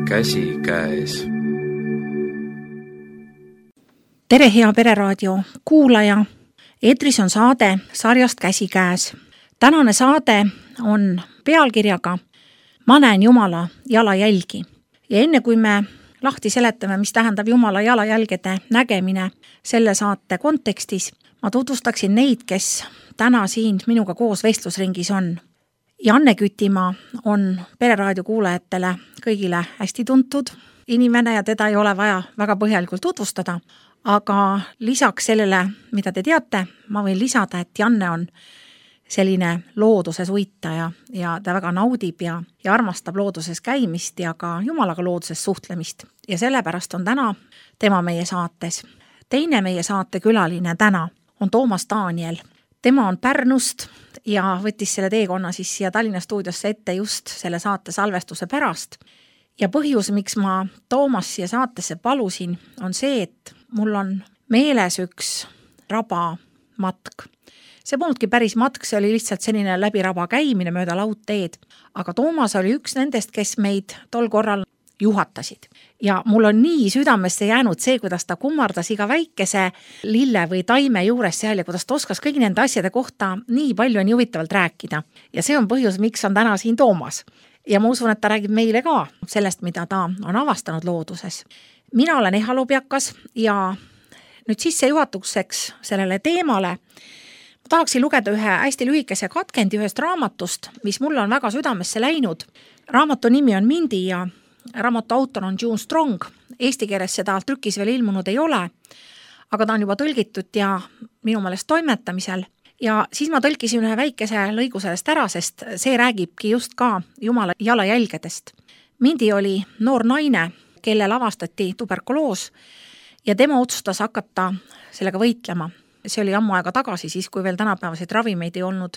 käsikäes. Tere, hea Pereraadio kuulaja! Eetris on saade sarjast Käsikäes. Tänane saade on pealkirjaga Ma näen Jumala jalajälgi. Ja enne kui me lahti seletame, mis tähendab Jumala jalajälgede nägemine selle saate kontekstis, ma tutvustaksin neid, kes täna siin minuga koos vestlusringis on. Janne Kütimaa on Pereraadio kuulajatele kõigile hästi tuntud inimene ja teda ei ole vaja väga põhjalikult tutvustada, aga lisaks sellele, mida te teate, ma võin lisada, et Janne on selline looduses uitaja ja ta väga naudib ja armastab looduses käimist ja ka Jumalaga looduses suhtlemist. Ja sellepärast on täna tema meie saates. Teine meie saate külaline täna on Toomas Daniel. Tema on Pärnust ja võttis selle teekonna siis siia Tallinna stuudiosse ette just selle saate salvestuse pärast. Ja põhjus, miks ma Toomas siia saatesse palusin, on see, et mul on meeles üks rabamatk. See polnudki päris matk, see oli lihtsalt selline läbi raba käimine mööda laudteed. Aga Toomas oli üks nendest, kes meid tol korral juhatasid. Ja mul on nii südamesse jäänud see, kuidas ta kummardas iga väikese lille või taime juures seal ja kuidas ta oskas kõigi nende asjade kohta nii palju nii huvitavalt rääkida. Ja see on põhjus, miks on täna siin Toomas. Ja ma usun, et ta räägib meile ka sellest, mida ta on avastanud looduses. Mina olen Eha Lubjakas ja nüüd sissejuhatuseks sellele teemale ma tahaksin lugeda ühe hästi lühikese katkendi ühest raamatust, mis mulle on väga südamesse läinud. Raamatu nimi on Mindi ja raamatu autor on June Strong. Eesti keeles seda trükis veel ilmunud ei ole, aga ta on juba tõlgitud ja minu meelest toimetamisel. Ja siis ma tõlkisin ühe väikese lõigu sellest ära, sest see räägibki just ka Jumala jalajälgedest. Mindi oli noor naine, kellel avastati tuberkuloos ja tema otsustas hakata sellega võitlema. See oli ammu aega tagasi, siis kui veel tänapäevaseid ravimeid ei olnud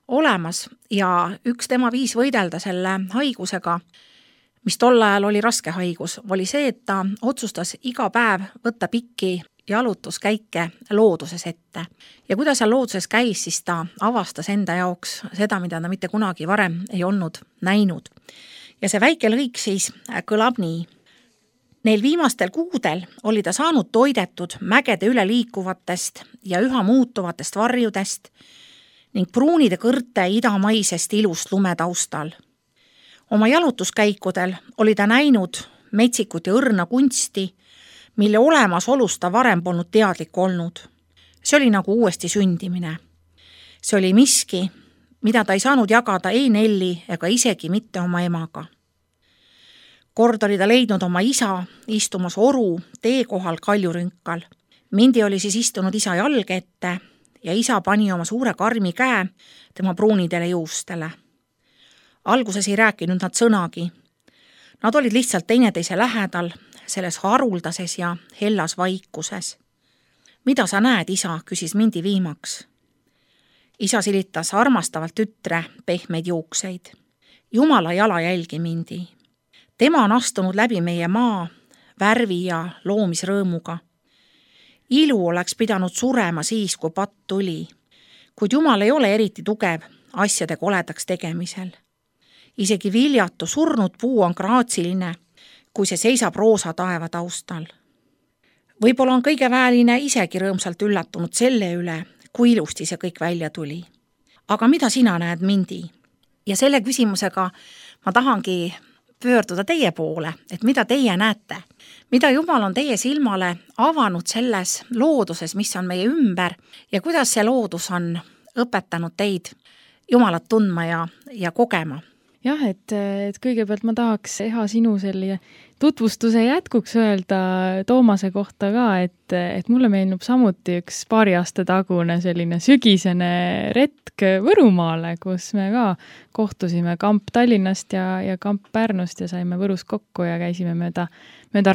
olemas ja üks tema viis võidelda selle haigusega, mis tol ajal oli raske haigus, oli see, et ta otsustas iga päev võtta pikki jalutuskäike looduses ette. Ja kuidas seal looduses käis, siis ta avastas enda jaoks seda, mida ta mitte kunagi varem ei olnud näinud. Ja see väike lõik siis kõlab nii. Neil viimastel kuudel oli ta saanud toidetud mägede üle liikuvatest ja üha muutuvatest varjudest ning pruunide kõrte idamaisest ilust lumetaustal. Oma jalutuskäikudel oli ta näinud metsikut ja õrna kunsti, mille olemasolust ta varem polnud teadlik olnud. See oli nagu uuesti sündimine. See oli miski, mida ta ei saanud jagada ei Nelli ega isegi mitte oma emaga. Kord oli ta leidnud oma isa istumas oru teekohal kaljurünkal. Mindi oli siis istunud isa jalge ette ja isa pani oma suure karmi käe tema pruunidele juustele. Alguses ei rääkinud nad sõnagi. Nad olid lihtsalt teineteise lähedal, selles haruldases ja hellas vaikuses. Mida sa näed, isa, küsis Mindi viimaks. Isa silitas armastavalt tütre pehmeid juukseid. Jumala jalajälgi, Mindi. Tema on astunud läbi meie maa värvi ja loomisrõõmuga. Ilu oleks pidanud surema siis, kui patt tuli, kuid Jumal ei ole eriti tugev asjade koledaks tegemisel. Isegi viljatu surnud puu on graatsiline, kui see seisab roosa taeva taustal. Võib-olla on kõige väeline isegi rõõmsalt üllatunud selle üle, kui ilusti see kõik välja tuli. Aga mida sina näed, Mindi? Ja selle küsimusega ma tahangi pöörduda teie poole, et mida teie näete? Mida Jumal on teie silmale avanud selles looduses, mis on meie ümber ja kuidas see loodus on õpetanud teid Jumalat tundma ja kogema? Jah, et kõigepealt ma tahaks Eha sinu selle tutvustuse jätkuks öelda Toomase kohta ka, et mulle meenub samuti üks paari aasta tagune selline sügisene retk Võrumaale, kus me ka kohtusime kamp Tallinnast ja kamp Pärnust ja saime Võrus kokku ja käisime mööda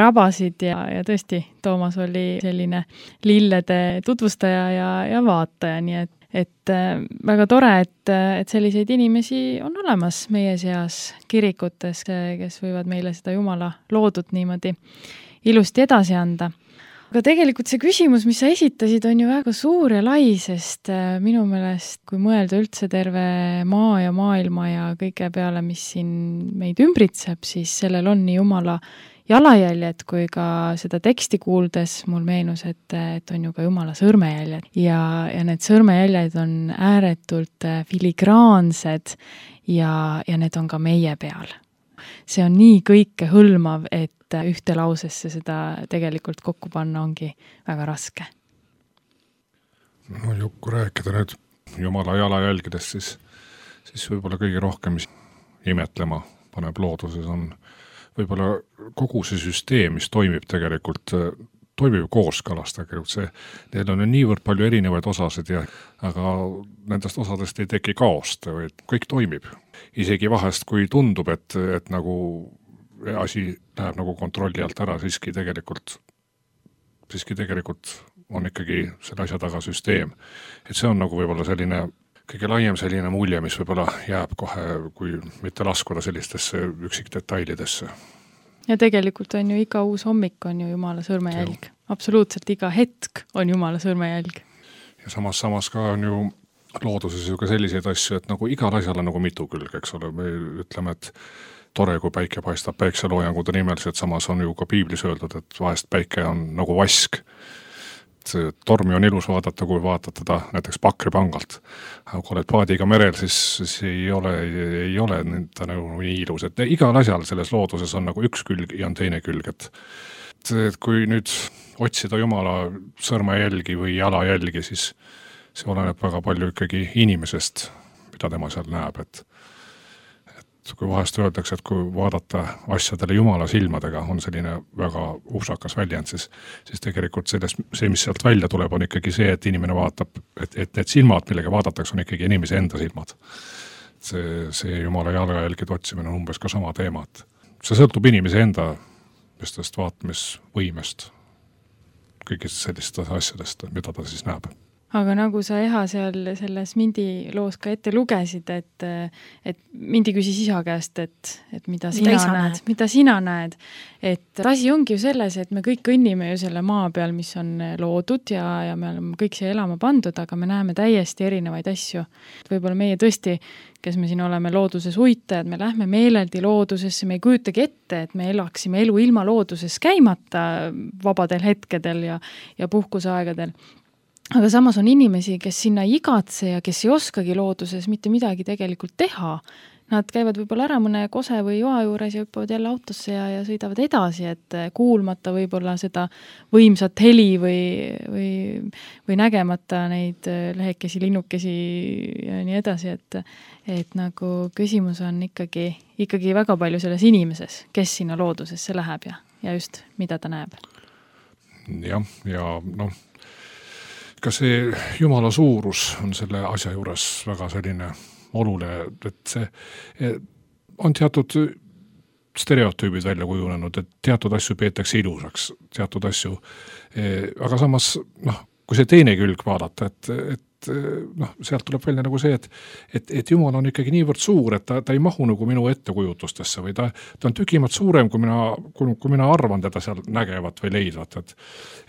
rabasid ja tõesti Toomas oli selline lillede tutvustaja ja vaataja, nii et väga tore, et selliseid inimesi on olemas meie seas kirikutes, kes võivad meile seda Jumala loodut niimoodi ilusti edasi anda. Aga tegelikult see küsimus, mis sa esitasid, on ju väga suur ja lai, sest minu meelest, kui mõelda üldse terve maa ja maailma ja kõige peale, mis siin meid ümbritseb, siis sellel on nii Jumala jalajäljed kui ka seda teksti kuuldes mul meenus, et on ju ka Jumala sõrmejäljed ja need sõrmejäljed on ääretult filigraansed ja need on ka meie peal. See on nii kõike hõlmav, et ühte lausesse seda tegelikult kokku panna ongi väga raske. No kui rääkida nüüd Jumala jalajälgedest, siis võib-olla kõige rohkem imetlema paneb looduses on võib-olla kogu see süsteem, mis toimib tegelikult, toimib kooskõlas tegelikult. Neil on niivõrd palju erinevaid osasid, aga nendest osadest ei teki kaost, vaid kõik toimib. Isegi vahest, kui tundub, et nagu asi läheb nagu kontrolli alt ära, siiski tegelikult on ikkagi selle asja taga süsteem. Et see on nagu võib-olla selline kõige laiem selline mulje, mis võib-olla jääb kohe, kui mitte laskuda sellistesse üksikdetailidesse. Ja tegelikult on ju iga uus hommik on ju Jumala sõrmejälg. Absoluutselt iga hetk on Jumala sõrmejälg. Ja samas ka on ju looduses ju ka selliseid asju, et nagu igal asjal on nagu mitu külg, eks ole. Me ütleme, et tore, kui päike paistab päikseloojangude nimeliselt, samas on ju ka piiblis öeldud, et vahest päike on nagu vask. See tormi on ilus vaadata, kui vaatad teda näiteks Pakripangalt. Aga kui oled paadiga merel, siis ei ole ta nagu nii ilus. Et igal asjal selles looduses on nagu üks külg ja on teine külg. Et kui nüüd otsida Jumala sõrmejälgi või jalajälgi, siis see oleneb väga palju ikkagi inimesest, mida tema seal näeb. Et kui vahest öeldakse, et kui vaadata asjadele Jumala silmadega, on selline väga upsakas väljend, siis tegelikult see, mis sealt välja tuleb, on ikkagi see, et inimene vaatab, et need silmad, millega vaadatakse, on ikkagi inimese enda silmad. See Jumala jalajälgide otsimine on umbes ka sama teema. See sõltub inimese enda vaatamisvõimest, kõigist sellistest asjadest, mida ta siis näeb. Aga nagu sa Eha seal selles Mindi loos ka ette lugesid, et Mindi küsis isa käest, et mida sina näed. Et asi ongi ju selles, et me kõik õnnime ju selle maa peal, mis on loodud ja me oleme kõik siia elama pandud, aga me näeme täiesti erinevaid asju. Võib-olla meie tõesti, kes me siin oleme looduses uitajad, me lähme meeleldi loodusesse, me ei kujutagi ette, et me elaksime elu ilma looduses käimata vabadel hetkedel ja puhkuseaegadel. Aga samas on inimesi, kes sinna igatse ja kes ei oskagi looduses mitte midagi tegelikult teha. Nad käivad võib-olla ära mõne kose või joa juures ja hüppavad jälle autosse ja sõidavad edasi, et kuulmata võib-olla seda võimsat heli või nägemata neid lehekesi, linnukesi ja nii edasi, et nagu küsimus on ikkagi väga palju selles inimeses, kes sinna loodusesse läheb ja just mida ta näeb. Ja ka see Jumala suurus on selle asja juures väga selline oluline, et see on teatud stereotüübid välja kujunenud, et teatud asju peetakse ilusaks, teatud asju, aga samas, kui see teine külg vaadata, et sealt tuleb välja nagu see, et Jumal on ikkagi niivõrd suur, et ta ei mahu nagu minu ettekujutustesse või ta on tükimat suurem, kui mina arvan teda seal nägevat või leidvat,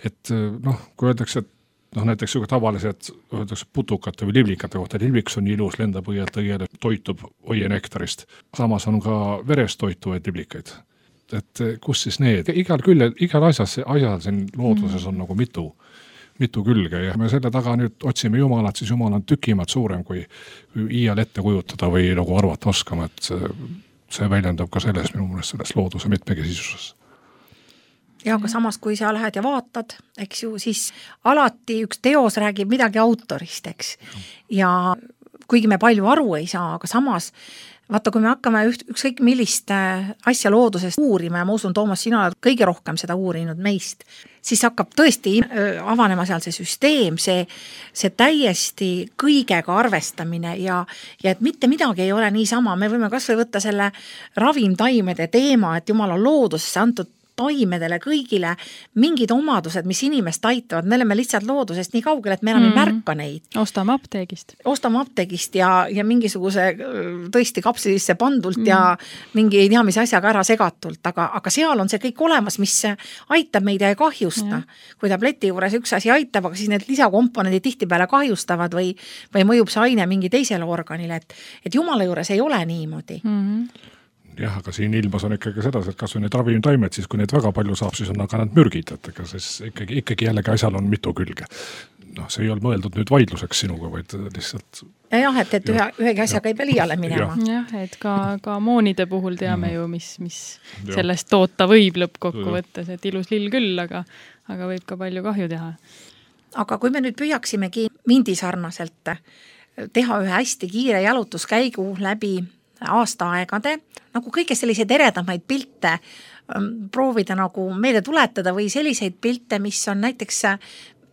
et kui öeldakse, et näiteks tavaliselt öeldakse putukate või liblikate kohta, libliks on ilus, lendab õielt õiele, toitub oie nektarist. Samas on ka verest toituvaid liblikaid. Et kus siis need? Igal asjal siin looduses on nagu mitu külge ja me selle taga nüüd otsime Jumalat, siis Jumal on tükimat suurem, kui iial ette kujutada või nagu arvata oskama, et see väljendab ka selles minu meelest selles looduse mitmekesisuses. Ja aga samas, kui sa lähed ja vaatad, eks ju, siis alati üks teos räägib midagi autorist, eks. Ja kuigi me palju aru ei saa, aga samas, vaata, kui me hakkame ükskõik millist asja loodusest uurima ja ma usun, Toomas, sina oled kõige rohkem seda uurinud meist, siis hakkab tõesti avanema seal see süsteem, see täiesti kõigega arvestamine ja et mitte midagi ei ole niisama. Me võime kas või võtta selle ravimtaimede teema, et Jumal on loodusesse antud taimedele, kõigile mingid omadused, mis inimest aitavad, me oleme lihtsalt loodusest nii kaugel, et me enam ei märka neid. Ostame apteegist ja mingisuguse tõesti kapslisse pandult ja mingi ei tea, mis asjaga ära segatult, aga seal on see kõik olemas, mis aitab meid ja ei kahjusta. Kui tableti juures üks asi aitab, aga siis need lisakomponendid tihtipeale kahjustavad või mõjub see aine mingi teisele organile, et Jumala juures ei ole niimoodi. Jah, aga siin ilmas on ikkagi seda, et kas või need ravimtaimed, siis kui need väga palju saab, siis on aga nad mürgid, et ega siis ikkagi jällegi asjal on mitu külge. See ei ole mõeldud nüüd vaidluseks sinuga, vaid lihtsalt... Jah, et ühegi asjaga ei pea liiale minema. Jah, et ka moonide puhul teame ju, mis sellest toota võib lõppkokku võttes, et ilus lill küll, aga võib ka palju kahju teha. Aga kui me nüüd püüaksimegi mindisarnaselt teha ühe hästi kiire jalutuskäigu läbi aastaaegade, nagu kõige selliseid eredamaid pilte proovida nagu meelde tuletada või selliseid pilte, mis on näiteks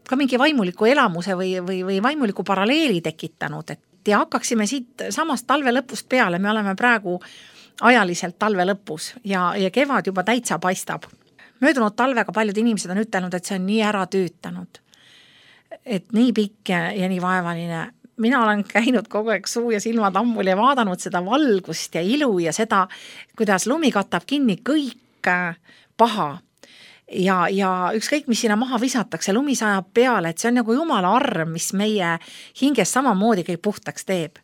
ka mingi vaimuliku elamuse või vaimuliku paralleeli tekitanud, et ja hakkaksime siit samast talve lõpust peale, me oleme praegu ajaliselt talve lõpus ja kevad juba täitsa paistab. Möödunud talvega paljud inimesed on ütelnud, et see on nii ära tüütanud, et nii pikk ja nii vaevaline. Mina olen käinud kogu aeg suu ja silmad ammul ja vaadanud seda valgust ja ilu ja seda, kuidas lumi katab kinni kõik paha. Ja ükskõik, mis sinna maha visatakse, lumi sajab peale, et see on nagu Jumala arm, mis meie hinges samamoodi kõik puhtaks teeb.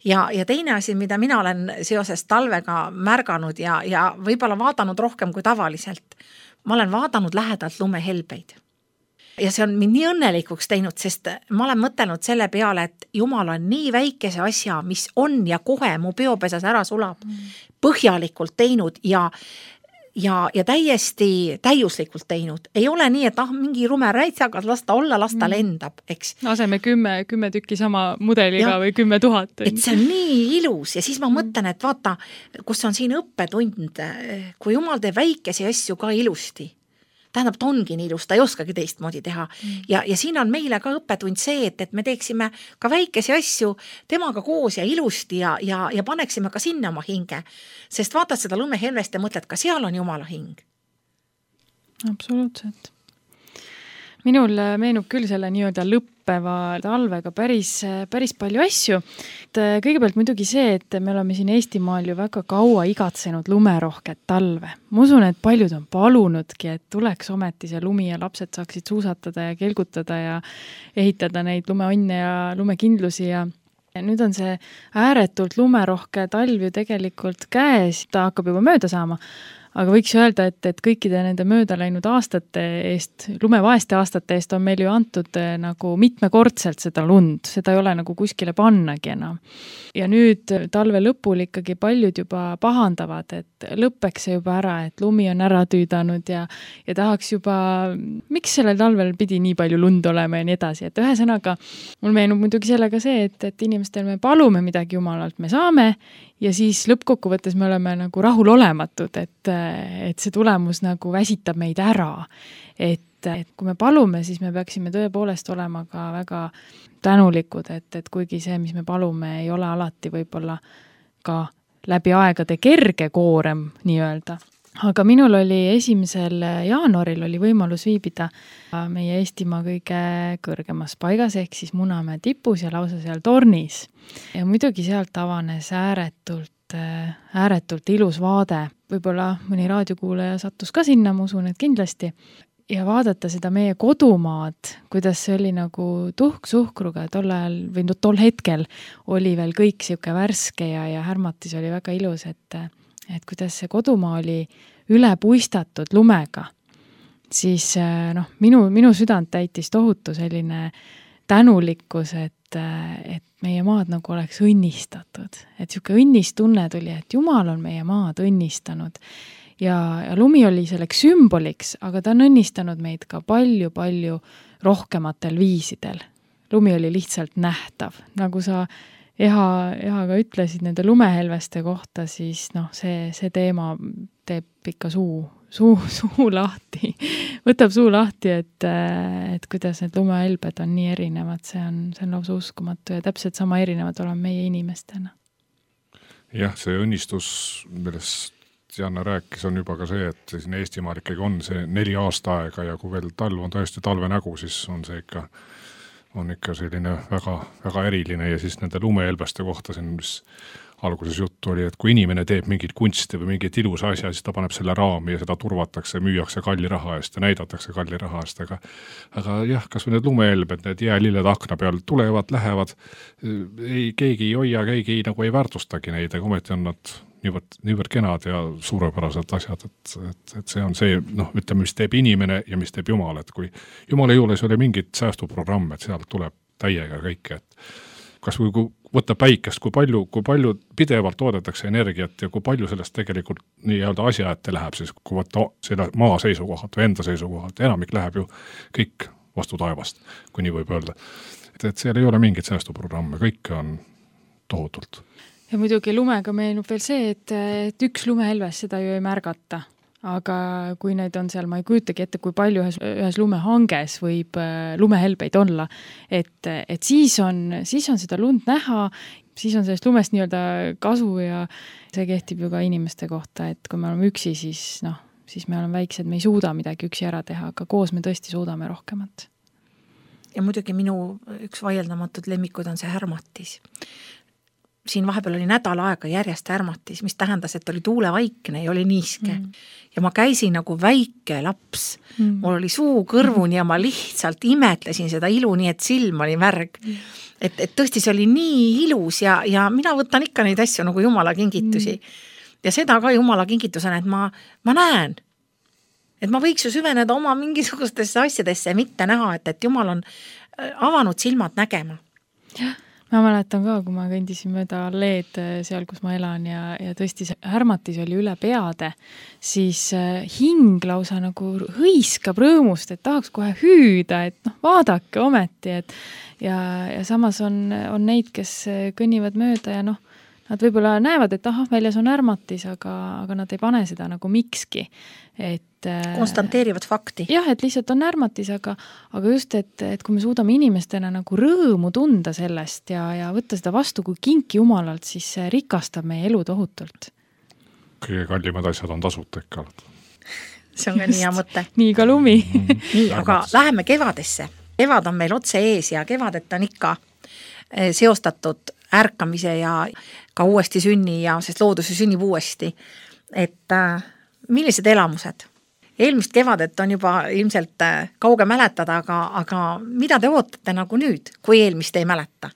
Ja teine asi, mida mina olen seoses talvega märganud ja võib-olla vaadanud rohkem kui tavaliselt, ma olen vaadanud lähedalt lumehelbeid. Ja see on mind nii õnnelikuks teinud, sest ma olen mõtelnud selle peale, et Jumal on nii väikese asja, mis on ja kohe mu peopesas ära sulab, põhjalikult teinud ja täiesti täiuslikult teinud. Ei ole nii, et mingi rumeräitsaga lasta olla, lasta lendab, eks. Aseme 10 tükki sama mudeliga või 10 000. Et see on nii ilus ja siis ma mõtlen, et vaata, kus on siin õppetund, kui Jumal teeb väikesi asju ka ilusti. Tähendab, ta ongi nii ilus, ta ei oskagi teistmoodi teha. Ja siin on meile ka õppetund see, et me teeksime ka väikesi asju temaga koos ja ilusti ja paneksime ka sinna oma hinge. Sest vaatad seda lumehelvest ja mõtled, ka seal on Jumala hing. Absoluutselt. Minul meenub küll selle nii-öelda lõppeva talvega päris palju asju. Kõigepealt muidugi see, et me oleme siin Eestimaal ju väga kaua igatsenud lumerohket talve. Ma usun, et paljud on palunudki, et tuleks ometi see lumi ja lapsed saaksid suusatada ja kelgutada ja ehitada neid lumeonne ja lumekindlusi ja nüüd on see ääretult lumerohke talv ju tegelikult käes, ta hakkab juba mööda saama. Aga võiks öelda, et kõikide nende mööda läinud aastate eest, lumevaeste aastate eest on meil ju antud nagu mitmekordselt seda lund, seda ei ole nagu kuskile pannagi enam. Ja nüüd talve lõpul ikkagi paljud juba pahandavad, et lõppeks see juba ära, et lumi on ära tüüdanud ja tahaks juba, miks sellel talvel pidi nii palju lund olema ja nii edasi. Et ühesõnaga, mul meenub muidugi sellega see, et inimestel me palume midagi Jumalalt, me saame ja siis lõppkokkuvõttes me oleme nagu rahul olematud, et see tulemus nagu väsitab meid ära. Et kui me palume, siis me peaksime tõepoolest olema ka väga tänulikud, et kuigi see, mis me palume, ei ole alati võib-olla ka läbi aegade kerge koorem nii-öelda. Aga minul oli 1. jaanuaril oli võimalus viibida meie Eestimaa kõige kõrgemas paigas, ehk siis Munamäe tipus ja lausa seal tornis. Ja muidugi sealt avanes ääretult ilus vaade. Võib-olla mõni raadiokuulaja sattus ka sinna, ma usun, et kindlasti. Ja vaadata seda meie kodumaad, kuidas see oli nagu tuhk-suhkruga tol ajal või tol hetkel oli veel kõik siuke värske ja härmatis oli väga ilus, et kuidas see kodumaa oli üle puistatud lumega, siis minu südant täitis tohutu selline tänulikkus, et meie maad nagu oleks õnnistatud. Et siuke õnnistunne tuli, et Jumal on meie maad õnnistanud ja lumi oli selleks sümboliks, aga ta on õnnistanud meid ka palju rohkematel viisidel. Lumi oli lihtsalt nähtav, nagu sa Ehaga ütlesid nende lumehelveste kohta, siis see teema teeb ikka suu lahti, võtab suu lahti, et kuidas need lumehelbed on nii erinevad, see on lausa uskumatu ja täpselt sama erinevad oleme meie inimestena. Jah, see õnnistus, millest Janne rääkis, on juba ka see, et siin Eestimaal ikkagi on see 4 aastaaega ja kui veel talv on tõesti talve nägu, siis on see ikka selline väga, väga eriline ja siis nende lumehelbeste kohta siin, mis alguses juttu oli, et kui inimene teeb mingit kunsti või mingit ilusa asja, siis ta paneb selle raami ja seda turvatakse, müüakse kalli raha eest ja näidatakse kalli raha eest, aga jah, kas või need lumehelbed, need jäälilled akna peal tulevad, lähevad, keegi ei hoia, keegi nagu ei väärtustagi neid, aga ometi on nad niivõrd kenad ja suurepärased asjad, et see on see, ütleme, mis teeb inimene ja mis teeb Jumal, et kui Jumala juures oli mingit säästuprogramm, et sealt tuleb täiega kõike, et kas või kui võtta päikest, kui palju pidevalt toodetakse energiat ja kui palju sellest tegelikult nii-öelda asja ette läheb, siis kui võtta selle maa seisukohalt või enda seisukohalt, enamik läheb ju kõik vastu taevast, kui nii võib öelda. Et seal ei ole mingit säästuprogramme, kõike on tohutult. Ja muidugi lumega meenub veel see, et üks lumehelves seda ju ei märgata. Aga kui neid on seal, ma ei kujutagi ette, kui palju ühes lumehanges võib lumehelbeid olla, et siis on seda lund näha, siis on sellest lumest nii-öelda kasu ja see kehtib ju ka inimeste kohta, et kui me oleme üksi, siis me oleme väiksed, me ei suuda midagi üksi ära teha, aga koos me tõesti suudame rohkemat. Ja muidugi minu üks vaieldamatud lemmikud on see härmatis. Siin vahepeal oli nädal aega järjest härmatis, mis tähendas, et oli tuulevaikne ja oli niiske. Ja ma käisin nagu väike laps. Mul oli suu kõrvuni ja ma lihtsalt imetlesin seda ilu, nii et silm oli märg. Et tõesti see oli nii ilus ja mina võtan ikka neid asju nagu Jumala kingitusi. Ja seda ka Jumala kingitusena, et ma näen. Et ma võiks ju süveneda oma mingisugustesse asjadesse ja mitte näha, et Jumal on avanud silmad nägema. Jah. Ma mäletan ka, kui ma kõndisin mööda alleed seal, kus ma elan ja tõesti see härmatis oli üle peade, siis hing lausa nagu hõiskab rõõmust, et tahaks kohe hüüda, et vaadake ometi, ja samas on neid, kes kõnnivad mööda ja nad võib-olla näevad, et väljas on härmatis, aga nad ei pane seda nagu mikski. Konstanteerivad fakti. Jah, et lihtsalt on härmatis, aga just, et kui me suudame inimestena nagu rõõmu tunda sellest ja võtta seda vastu kui kinki Jumalalt, siis see rikastab meie elu tohutult. Kõige kallimad asjad on tasuta ikka. See on ka nii hea mõte. Nii ka lumi. Nii, aga läheme kevadesse. Kevad on meil otse ees ja kevadet on ikka seostatud ärkamise ja ka uuesti sünni ja sest loodus sünnib uuesti. Et millised elamused? Eelmist kevadet on juba ilmselt kauge mäletada, aga mida te ootate nagu nüüd, kui eelmist ei mäleta?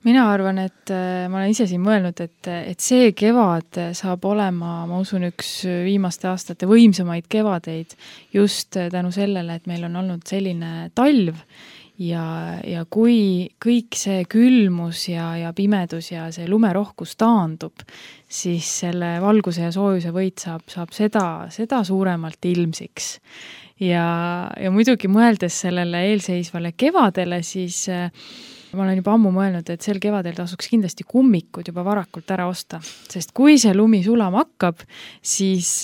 Mina arvan, et ma olen ise siin mõelnud, et see kevad saab olema, ma usun, üks viimaste aastate võimsamaid kevadeid just tänu sellele, et meil on olnud selline talv ja kui kõik see külmus ja pimedus ja see lumerohkus taandub, siis selle valguse ja soojuse võit saab seda suuremalt ilmsiks. Ja muidugi mõeldes sellele eelseisvale kevadele, siis ma olen juba ammu mõelnud, et sel kevadel tasuks kindlasti kummikud juba varakult ära osta, sest kui see lumi sulama hakkab, siis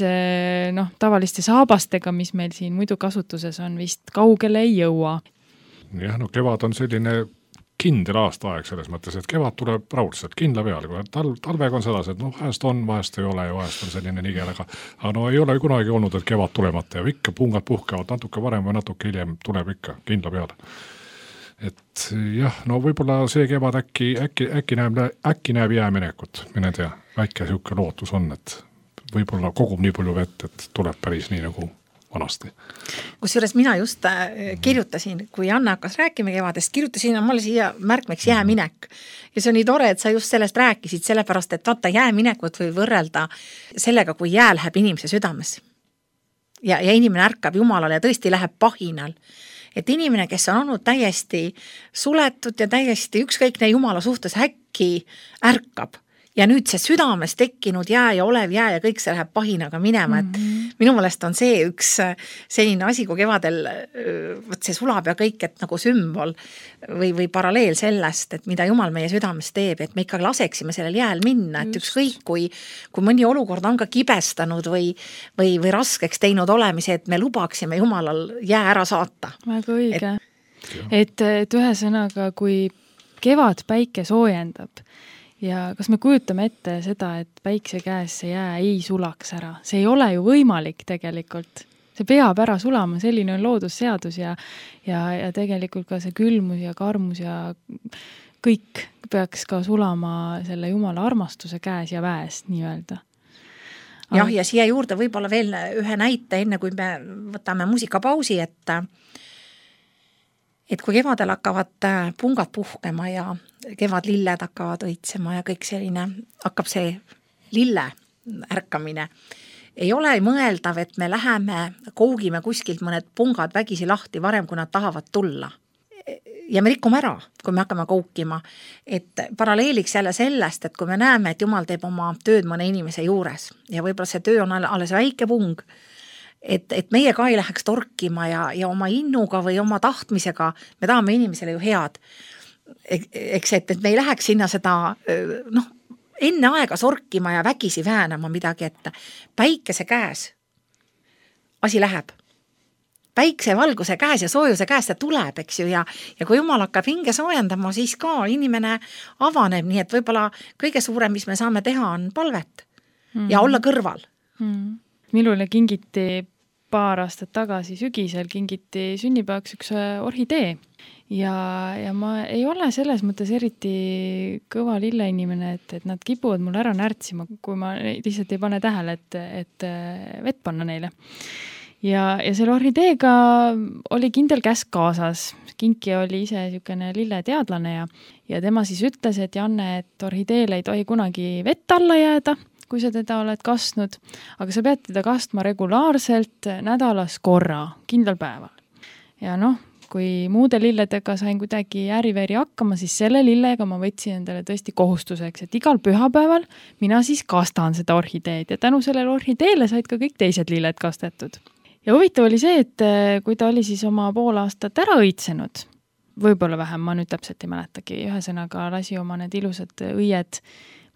tavaliste saabastega, mis meil siin muidu kasutuses on, vist kaugele ei jõua. Jah, kevad on selline kindel aastaaeg selles mõttes, et kevad tuleb raudselt kindla peale, kui talvega on sedasi, et vahest on, vahest ei ole ja vahest on selline nigel, aga ei ole kunagi olnud, et kevad tulemata ja ikka pungad puhkevad natuke varem või natuke hiljem tuleb ikka kindla peale. Et jah, võib-olla see kevad äkki näeb jääminekut, mine tea, väike siuke lootus on, et võib-olla kogub nii palju vett, et tuleb päris nii nagu vanasti. Kusjuures mina just kirjutasin, kui Anna hakkas rääkima kevadest, kirjutasin mulle siia märkmeks jääminek. Ja see on nii tore, et sa just sellest rääkisid, sellepärast, et vaata jääminekut või võrrelda sellega, kui jää läheb inimese südames. Ja inimene ärkab Jumalale ja tõesti läheb pahinal. Et inimene, kes on olnud täiesti suletud ja täiesti ükskõikne Jumala suhtes äkki ärkab. Ja nüüd see südames tekkinud jää ja olev jää ja kõik see läheb pahinaga minema, et minu meelest on see üks selline asi, kui kevadel see sulab ja kõik, et nagu sümbol või paralleel sellest, et mida Jumal meie südames teeb, et me ikka laseksime sellel jääl minna, et ükskõik kui mõni olukord on ka kibestanud või raskeks teinud olemise, et me lubaksime Jumalal jää ära saata. Väga õige. Et ühesõnaga, kui kevad päike soojendab ja kas me kujutame ette seda, et päikse käes see jää ei sulaks ära? See ei ole ju võimalik tegelikult. See peab ära sulama, selline on loodusseadus ja tegelikult ka see külmus ja karmus ja kõik peaks ka sulama selle Jumala armastuse käes ja väes, nii öelda. Jah, ja siia juurde võib-olla veel ühe näite, enne kui me võtame muusikapausi, et kui kevadel hakkavad pungad puhkema ja kevadlilled hakkavad õitsema ja kõik selline, hakkab see lille ärkamine, ei ole mõeldav, et me läheme, kougime kuskilt mõned pungad vägisi lahti varem, kui nad tahavad tulla. Ja me rikume ära, kui me hakkame koukima. Et paralleeliks jälle sellest, et kui me näeme, et Jumal teeb oma tööd mõne inimese juures ja võib-olla see töö on alles väike pung, et meie ka ei läheks torkima ja oma innuga või oma tahtmisega, me tahame inimesele ju head. Eks, et me ei läheks sinna seda, enne aega sorkima ja vägisi väänama midagi, et päikese käes asi läheb. Päikse valguse käes ja soojuse käes ta tuleb, eks ju, ja kui Jumal hakkab hinge soojendama, siis ka inimene avaneb, nii et võib-olla kõige suurem, mis me saame teha, on palvet ja olla kõrval. Minule kingiti paar aastat tagasi sügisel kingiti sünnipäevaks üks orhidee ja ma ei ole selles mõttes eriti kõva lilleinimene, et nad kipuvad mul ära närtsima, kui ma lihtsalt ei pane tähele, et vett panna neile. Ja selle orhideega oli kindel käsk kaasas. Kinki oli ise niisugune lilleteadlane ja tema siis ütles, et Janne, et orhideele ei tohi kunagi vett alla jääda, kui sa teda oled kastnud, aga sa pead teda kastma regulaarselt nädalas korra, kindlal päeval. Ja kui muude lilledega sain kuidagi ääriveeri hakkama, siis selle lillega ma võtsin endale tõesti kohustuseks, et igal pühapäeval mina siis kastan seda orhideed ja tänu sellele orhideele said ka kõik teised lilled kastetud. Ja huvitav oli see, et kui ta oli siis oma pool aastat ära õitsenud, võib-olla vähem, ma nüüd täpselt ei mäletagi, ühesõnaga lasi oma need ilusad õied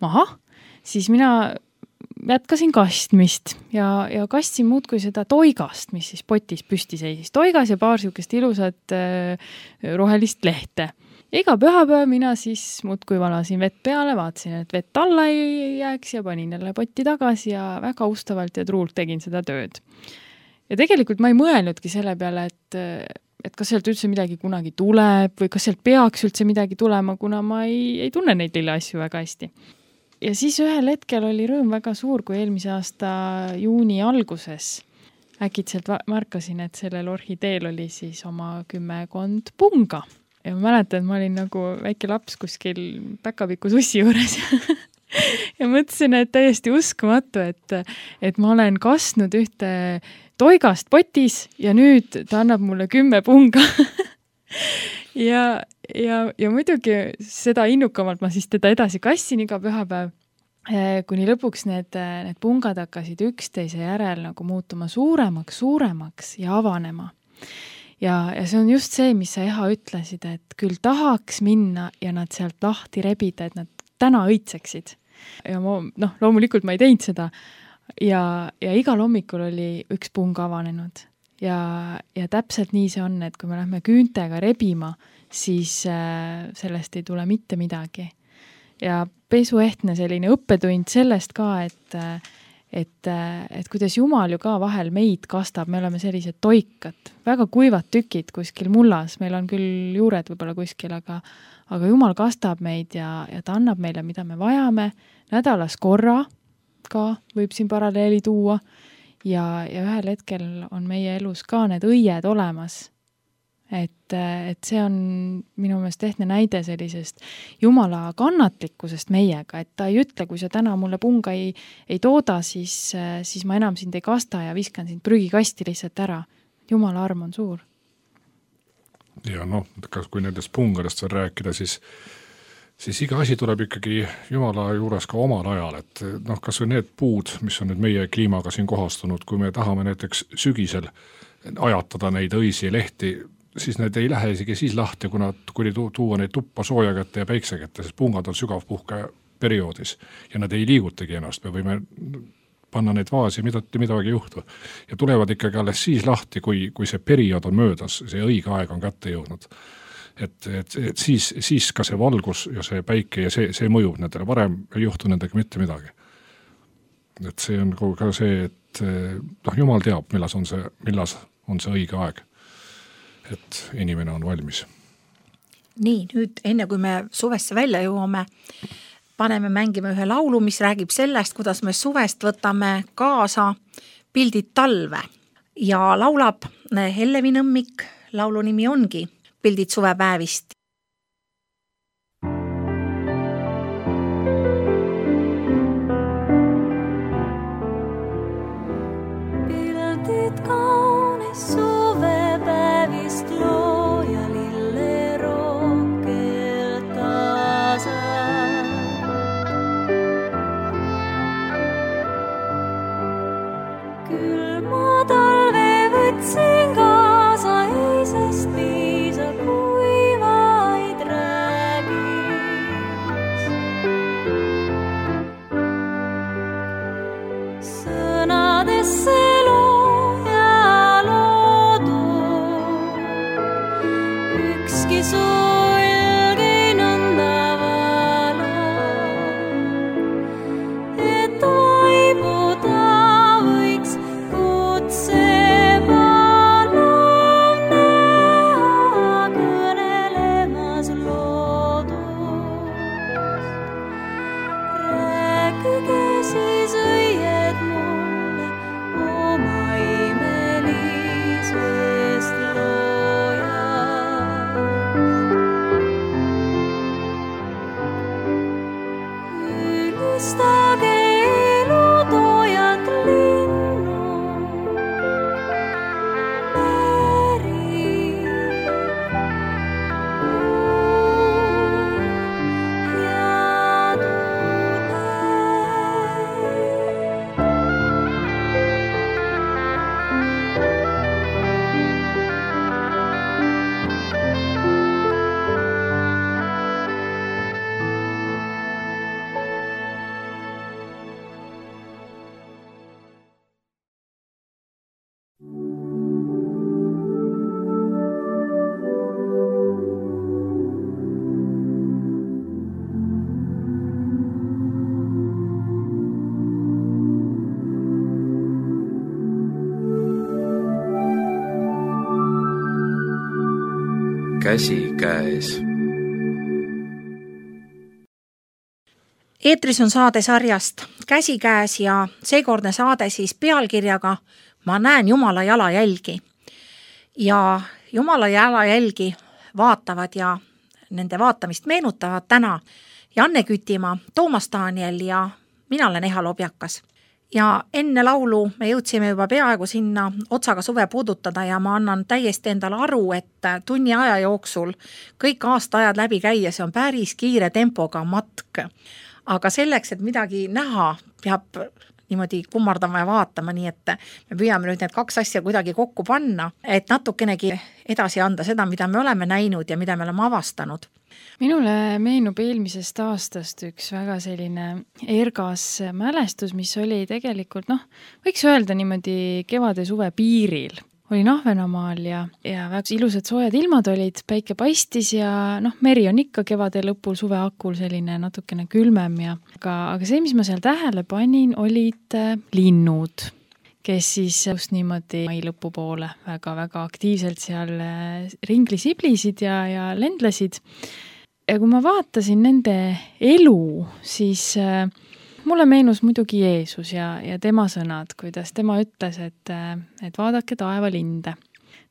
maha, siis mina jätkasin kastmist ja kastsin muudkui seda toigast, mis siis potis püsti seisis. Toigas ja paar siukest ilusat rohelist lehte. Ja iga pühapäev mina siis muudkui valasin vett peale, vaatasin, et vett alla ei jääks ja panin jälle potti tagasi ja väga ustavalt ja truult tegin seda tööd. Ja tegelikult ma ei mõelnudki selle peale, et kas sealt üldse midagi kunagi tuleb või kas sealt peaks üldse midagi tulema, kuna ma ei tunne neid lille asju väga hästi. Ja siis ühel hetkel oli rõõm väga suur, kui eelmise aasta juuni alguses äkitselt märkasin, et sellel orhideel oli siis oma 10 punga. Ja ma mäletan, et ma olin nagu väike laps kuskil päkapiku sussi juures ja mõtlesin, et täiesti uskumatu, et ma olen kastnud ühte toigast potis ja nüüd ta annab mulle 10 punga. ja muidugi seda innukamalt ma siis teda edasi kassin iga pühapäev, kuni lõpuks need pungad hakkasid üksteise järel nagu muutuma suuremaks ja avanema. Ja see on just see, mis sa Eha ütlesid, et küll tahaks minna ja nad sealt lahti rebida, et nad täna õitseksid. Ja ma, loomulikult ma ei teinud seda. Ja igal hommikul oli üks pung avanenud ja täpselt nii see on, et kui me lähme küüntega rebima, siis sellest ei tule mitte midagi. Ja pesuehtne selline õppetund sellest ka, et kuidas Jumal ju ka vahel meid kastab, me oleme sellised toikad, väga kuivad tükid kuskil mullas, meil on küll juured võib-olla kuskil, aga Jumal kastab meid ja ta annab meile, mida me vajame, nädalas korra, ka võib siin paralleeli tuua ja ühel hetkel on meie elus ka need õied olemas. Et see on minu meelest ehtne näide sellisest Jumala kannatlikkusest meiega, et ta ei ütle, kui sa täna mulle punga ei tooda, siis ma enam sind ei kasta ja viskan sind prügikasti lihtsalt ära. Jumala arm on suur. Ja kui nendest pungadest veel rääkida, siis iga asi tuleb ikkagi Jumala juures ka omal ajal, et kas või need puud, mis on nüüd meie kliimaga siin kohastunud, kui me tahame näiteks sügisel ajatada neid õisi lehti, siis need ei lähe isegi siis lahti, kui tuua neid tuppa sooja kätte ja päikse kätte, sest pungad on sügavpuhke perioodis ja nad ei liigutagi ennast, me võime panna neid vaasi, midagi juhtu. Ja tulevad ikkagi alles siis lahti, kui see periood on möödas, see õige aeg on kätte jõudnud. et siis ka see valgus ja see päike ja see mõjub nendele, varem ei juhtu nendega mitte midagi. Et see on ka see, et Jumal teab, millas on see õige aeg, et inimene on valmis. Nii, nüüd enne kui me suvesse välja jõuame, paneme mängima ühe laulu, mis räägib sellest, kuidas me suvest võtame kaasa pildid talve. Ja laulab Hellevi Nõmmik, laulu nimi ongi Pildid suvepäevist. Pildid kaunis suvepäevist looja lille rohkelt tasa. Külma talve võtsin kaasa, ei sest piisa, kui vaid räägiks. Sõnadesse looja loodu, ükski sulg ei nõnda vala, et aibuda võiks kutse palav näha kõnelemas loodust. Rääkige siis õied mulle oma imelisest loojast. Ülistage elutoojat linnu, meri, ja tule. Käsikäes. Eetris on saade sarjast Käsikäes ja seekordne saade siis pealkirjaga Ma näen Jumala jalajälgi. Ja Jumala jalajälgi vaatavad ja nende vaatamist meenutavad täna Janne Kütimaa, Toomas Daniel ja mina olen Eha Lobjakas. Ja enne laulu me jõudsime juba peaaegu sinna otsaga suve puudutada ja ma annan täiesti endale aru, et tunni aja jooksul kõik aastaajad läbi käia, see on päris kiire tempoga matk. Aga selleks, et midagi näha, peab niimoodi kummardama ja vaatama, nii et me püüame nüüd need kaks asja kuidagi kokku panna, et natukenegi edasi anda seda, mida me oleme näinud ja mida me oleme avastanud. Minule meenub eelmisest aastast üks väga selline ergas mälestus, mis oli tegelikult, võiks öelda niimoodi kevade suve piiril. Olin Ahvenamaal ja väga ilusad soojad ilmad olid, päike paistis ja meri on ikka kevade lõpul suve hakul selline natukene külmem ja aga see, mis ma seal tähele panin, olid linnud, kes siis just niimoodi mai lõpu poole väga-väga aktiivselt seal ringli siblisid ja lendlesid. Ja kui ma vaatasin nende elu, siis mulle meenus muidugi Jeesus ja tema sõnad, kuidas tema ütles, et vaadake taevalinde.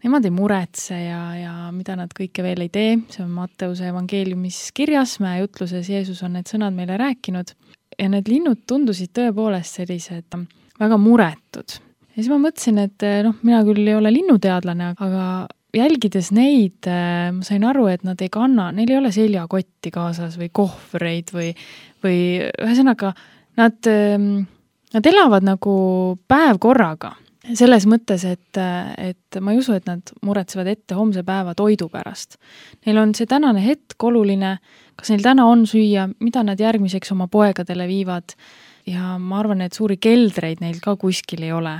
Nemad ei muretse ja mida nad kõike veel ei tee, see on Matteuse evangeeliumis kirjas, mäejutluses Jeesus on need sõnad meile rääkinud ja need linnud tundusid tõepoolest sellised väga muretud. Ja siis ma mõtlesin, et mina küll ei ole linnuteadlane, aga jälgides neid, ma sain aru, et nad ei kanna, neil ei ole seljakotti kaasas või kohvreid või ühesõnaga, nad elavad nagu päev korraga. Selles mõttes, et ma ei usu, et nad muretsevad ette homse päeva toidu pärast. Neil on see tänane hetk oluline, kas neil täna on süüa, mida nad järgmiseks oma poegadele viivad ja ma arvan, et suuri keldreid neil ka kuskil ei ole.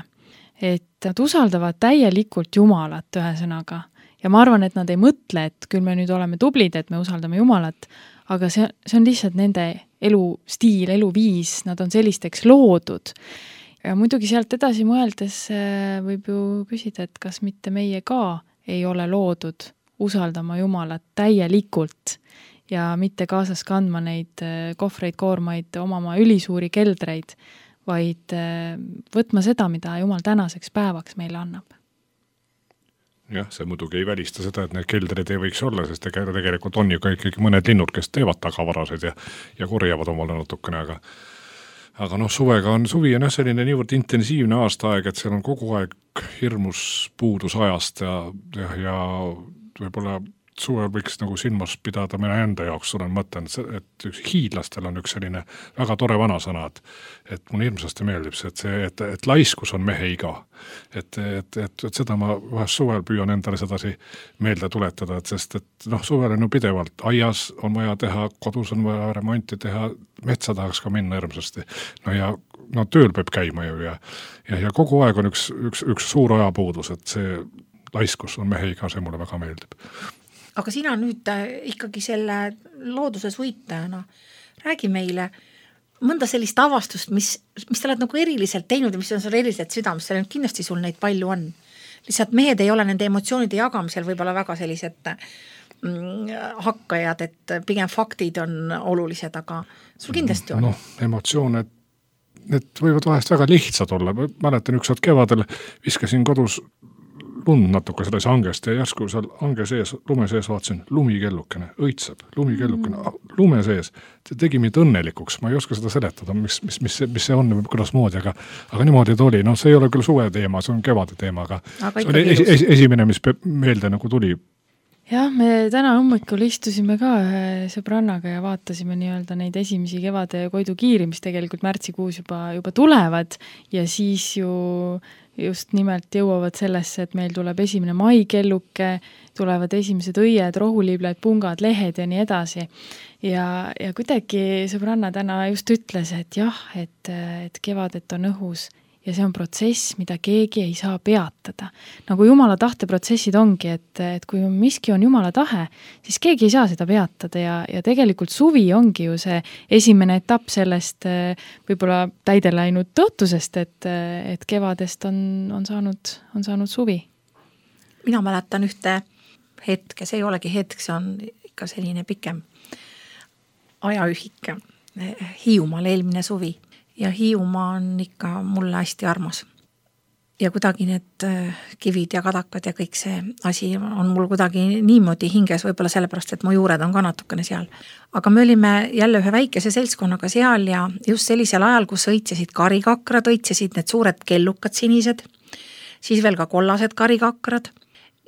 Et nad usaldavad täielikult Jumalat ühesõnaga ja ma arvan, et nad ei mõtle, et küll me nüüd oleme tublid, et me usaldame Jumalat, aga see on lihtsalt nende elustiil, eluviis, nad on sellisteks loodud. Ja muidugi sealt edasi mõeldes võib ju küsida, et kas mitte meie ka ei ole loodud usaldama Jumalat täielikult ja mitte kaasas kandma neid kohvreid, koormaid, omama ülisuuri keldreid, vaid võtma seda, mida Jumal tänaseks päevaks meile annab. Jah, see muidugi ei välista seda, et need keldrid ei võiks olla, sest tegelikult on ju ka ikkagi mõned linnud, kes teevad tagavarasid ja korjavad omale natukene, aga suvega suvi on selline niivõrd intensiivne aastaaeg, et seal on kogu aeg hirmus puudus ajast ja võib-olla suvel võiks nagu silmas pidada mina enda jaoks, olen mõtlen, et hiidlastel on üks selline väga tore vanasõna, et mulle hirmsasti meeldib see, et laiskus on mehe iga. Et seda ma vahest suvel püüan endale sedasi meelde tuletada, sest suvel on ju pidevalt aias on vaja teha, kodus on vaja remonti teha, metsa tahaks ka minna hirmsasti. Tööl peab käima ju ja kogu aeg on üks suur ajapuudus, et see laiskus on mehe iga, see mulle väga meeldib. Aga sina nüüd ikkagi selle looduse suitajana räägi meile mõnda sellist avastust, mis sa oled nagu eriliselt teinud ja mis on sul eriliselt südames, seal kindlasti sul neid palju on. Lihtsalt mehed ei ole nende emotsioonide jagamisel võib-olla väga sellised hakkajad, et pigem faktid on olulised, aga sul kindlasti on. Emotsiooned, need võivad vahest väga lihtsad olla. Mäletan ükskord kevadel viskasin kodus lund natuke selles hangest ja järsku seal hange sees, lume sees vaatasin, lumikellukene, õitseb, lumikellukene, lume sees. See tegi mind õnnelikuks, ma ei oska seda seletada, mis see on, kuidas moodi, aga niimoodi ta oli. See ei ole küll suve teema, see on kevade teema, aga see oli esimene, mis meelde nagu tuli. Jah, me täna hommikul istusime ka ühe sõbrannaga ja vaatasime nii-öelda neid esimesi kevade koidukiiri, mis tegelikult märtsikuus juba tulevad ja siis ju just nimelt jõuavad sellesse, et meil tuleb esimene maikelluke, tulevad esimesed õied, rohuliibled, pungad, lehed ja nii edasi. Ja kuidagi sõbranna täna just ütles, et jah, et kevadet on õhus ja see on protsess, mida keegi ei saa peatada. Nagu Jumala tahte protsessid ongi, et kui miski on Jumala tahe, siis keegi ei saa seda peatada ja tegelikult suvi ongi ju see esimene etapp sellest võib-olla täide läinud tõotusest, et kevadest on saanud suvi. Mina mäletan ühte hetke, see ei olegi hetk, see on ikka selline pikem ajaühik. Hiiumaal eelmine suvi. Ja Hiiumaa on ikka mulle hästi armas. Ja kuidagi need kivid ja kadakad ja kõik see asi on mul kuidagi niimoodi hinges, võib-olla sellepärast, et mu juured on ka natukene seal. Aga me olime jälle ühe väikese seltskonnaga seal ja just sellisel ajal, kus õitsesid karikakrad, õitsesid need suured kellukad sinised, siis veel ka kollased karikakrad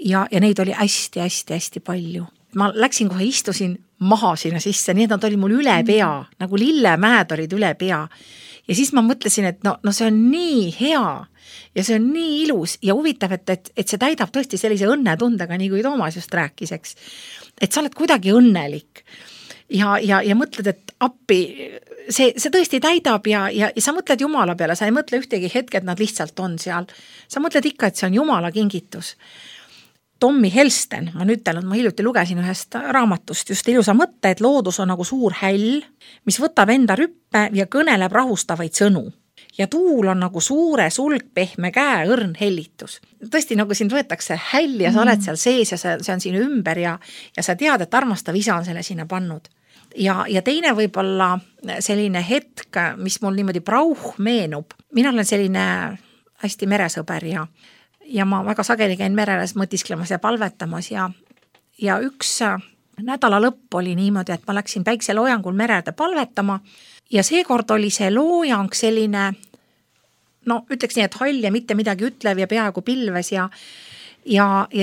ja neid oli hästi palju. Ma läksin kohe, istusin maha sinna sisse, nii et nad oli mul üle pea, nagu lillemäed olid üle pea. Ja siis ma mõtlesin, et no see on nii hea ja see on nii ilus ja huvitav, et see täidab tõesti sellise õnnetundega, nii kui Toomas just rääkis, eks. Et sa oled kuidagi õnnelik ja mõtled, et appi, see tõesti täidab ja sa mõtled Jumala peale, sa ei mõtle ühtegi hetke, et nad lihtsalt on seal. Sa mõtled ikka, et see on Jumala kingitus. Tommy Helsten, ma hiljuti lugesin ühest raamatust just ilusa mõtte, et loodus on nagu suur häll, mis võtab enda rüppe ja kõneleb rahustavaid sõnu. Ja tuul on nagu suure sulg pehme käe õrn hellitus. Tõesti, nagu sind võetakse häll ja sa oled seal sees ja see on sinu ümber ja sa tead, et armastav isa on selle sinna pannud. Ja teine võib-olla selline hetk, mis mul niimoodi prauh meenub. Mina olen selline hästi meresõber ja ma väga sageli käin mereles mõtisklemas ja palvetamas ja üks nädala lõpp oli niimoodi, et ma läksin päikseloojangul merede palvetama ja seekord oli see loojang selline, ütleks nii, et hall ja mitte midagi ütlev ja peaaegu pilves ja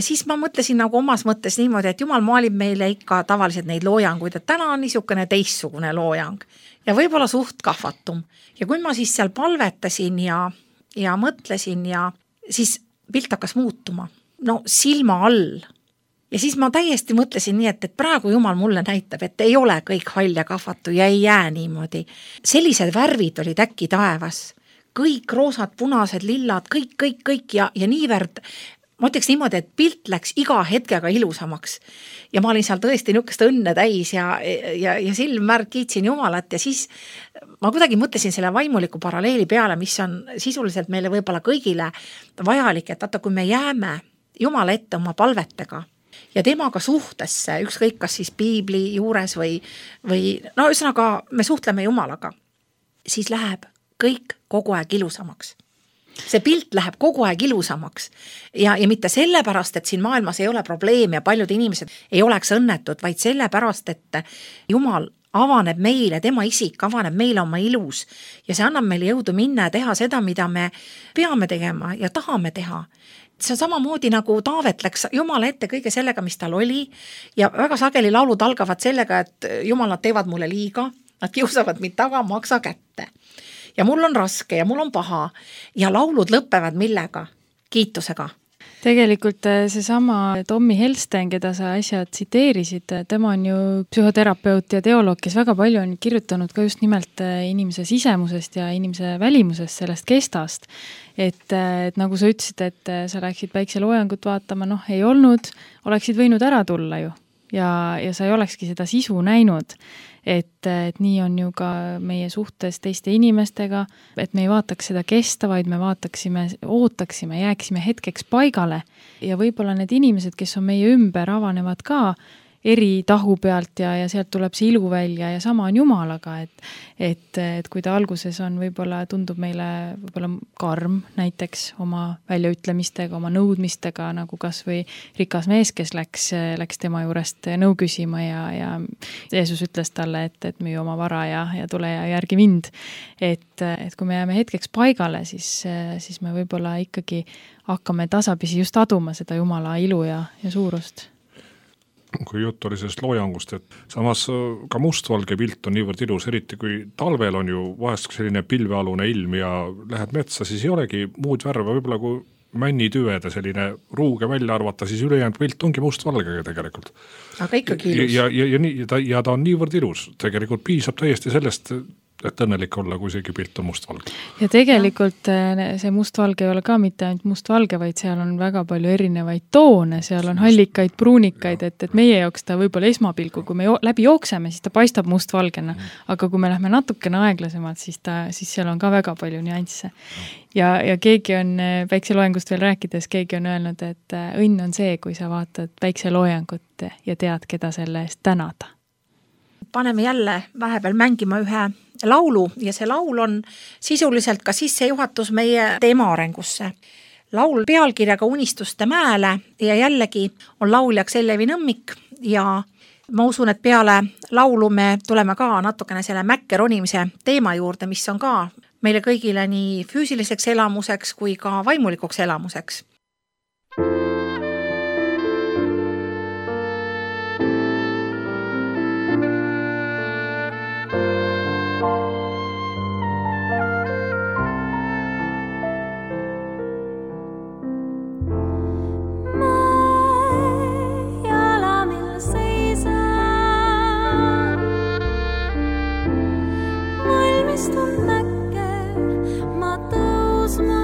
siis ma mõtlesin nagu omas mõttes niimoodi, et Jumal maalib meile ikka tavaliselt neid loojanguid, et täna on niisugune teistsugune loojang ja võib-olla suht kahvatum. Ja kui ma siis seal palvetasin ja mõtlesin ja siis pilt hakkas muutuma, silma all. Ja siis ma täiesti mõtlesin nii, et praegu Jumal mulle näitab, et ei ole kõik hall ja kahvatu ja ei jää niimoodi. Sellised värvid olid äkki taevas. Kõik roosad, punased, lillad, kõik ja niivõrd. ma ütleks niimoodi, et pilt läks iga hetkega ilusamaks ja ma olin seal tõesti niisugust õnne täis ja silmmärk kiitsin Jumalat ja siis ma kuidagi mõtlesin selle vaimuliku paralleeli peale, mis on sisuliselt meile võib-olla kõigile vajalik, et vaata, kui me jääme Jumala ette oma palvetega ja temaga suhtesse, ükskõik kas siis piibli juures või no ühesõnaga me suhtleme Jumalaga, siis läheb kõik kogu aeg ilusamaks. See pilt läheb kogu aeg ilusamaks ja mitte sellepärast, et siin maailmas ei ole probleem ja paljud inimesed ei oleks õnnetud, vaid sellepärast, et Jumal avaneb meile, tema isik avaneb meile oma ilus ja see annab meile jõudu minna ja teha seda, mida me peame tegema ja tahame teha. See on samamoodi nagu Taavet läks Jumala ette kõige sellega, mis tal oli ja väga sageli laulud algavad sellega, et Jumal, nad teevad mulle liiga, nad kiusavad mind taga, maksa kätte. Ja mul on raske ja mul on paha ja laulud lõppevad millega? Kiitusega. Tegelikult seesama Tommy Helsten, keda sa äsja tsiteerisid, tema on ju psühhoterapeut ja teoloog, kes väga palju on kirjutanud ka just nimelt inimese sisemusest ja inimese välimusest, sellest kestast. Et nagu sa ütlesid, et sa läksid päikseloojangut vaatama, ei olnud, oleksid võinud ära tulla ju ja sa ei olekski seda sisu näinud. Et nii on ju ka meie suhtes teiste inimestega, et me ei vaataks seda kesta, vaid me ootaksime, jääksime hetkeks paigale ja võib-olla need inimesed, kes on meie ümber, avanevad ka eri tahu pealt ja sealt tuleb see ilu välja ja sama on Jumalaga, et kui ta alguses on võib-olla tundub meile võib-olla karm näiteks oma väljaütlemistega, oma nõudmistega, nagu kas või rikas mees, kes läks tema juurest nõu küsima ja Jeesus ütles talle, et müü oma vara ja tule ja järgi mind. Et kui me jääme hetkeks paigale, siis me võib-olla ikkagi hakkame tasapisi just aduma seda Jumala ilu ja suurust. Kui jutt oli sellest loojangust, et samas ka mustvalge pilt on niivõrd ilus, eriti kui talvel on ju vahest selline pilvealune ilm ja lähed metsa, siis ei olegi muud värve, võib-olla kui männitüvede selline ruuge välja arvata, siis ülejäänud pilt ongi mustvalgega tegelikult. Aga ikkagi ilus. Ja ta on niivõrd ilus, tegelikult piisab täiesti sellest, et õnnelik olla, kui seegi pilt on mustvalge. Ja tegelikult see mustvalge ei ole ka mitte ainult mustvalge, vaid seal on väga palju erinevaid toone, seal on hallikaid, pruunikaid, et meie jaoks ta võib-olla esmapilgu, kui me läbi jookseme, siis ta paistab mustvalgena, aga kui me lähme natukene aeglasemalt, siis seal on ka väga palju nüansse. Ja keegi on päikseloojangust veel rääkides, keegi on öelnud, et õnn on see, kui sa vaatad päikseloojangut ja tead, keda selle eest tänada. Paneme jälle vahepeal mängima ühe laulu ja see laul on sisuliselt ka sissejuhatus meie teema arengusse. Laul pealkirjaga Unistuste mäele ja jällegi on lauljaks Ellevi Nõmmik ja ma usun, et peale laulu me tuleme ka natukene selle mäkke ronimise teema juurde, mis on ka meile kõigile nii füüsiliseks elamuseks kui ka vaimulikuks elamuseks. Ma tõusma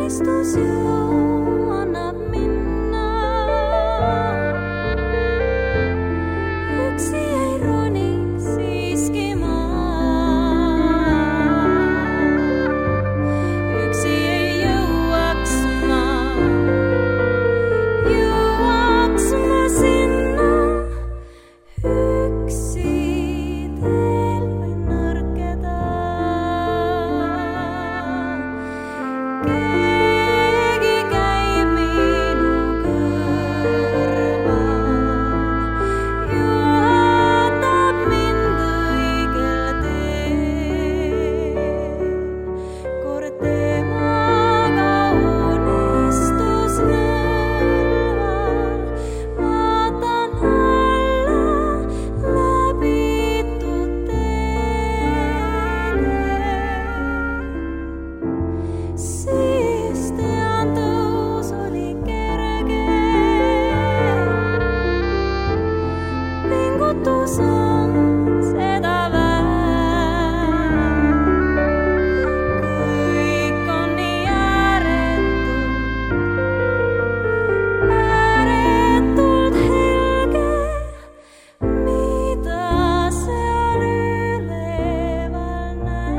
unistus ju annab minna. Üksi ei roniks siiski ma. Üksi ei jõuaks ma sinna. Üksi teel võin nõrkeda. Keegi käib minu kõrval, juhatab mind õigel teel. Kord temaga unistus nõlval, vaatan alla läbitud teele. Siis tean, tõus oli kerge. Pingutus on seda väärt. Kõik on nii ääretult helge, mida seal üleval näen.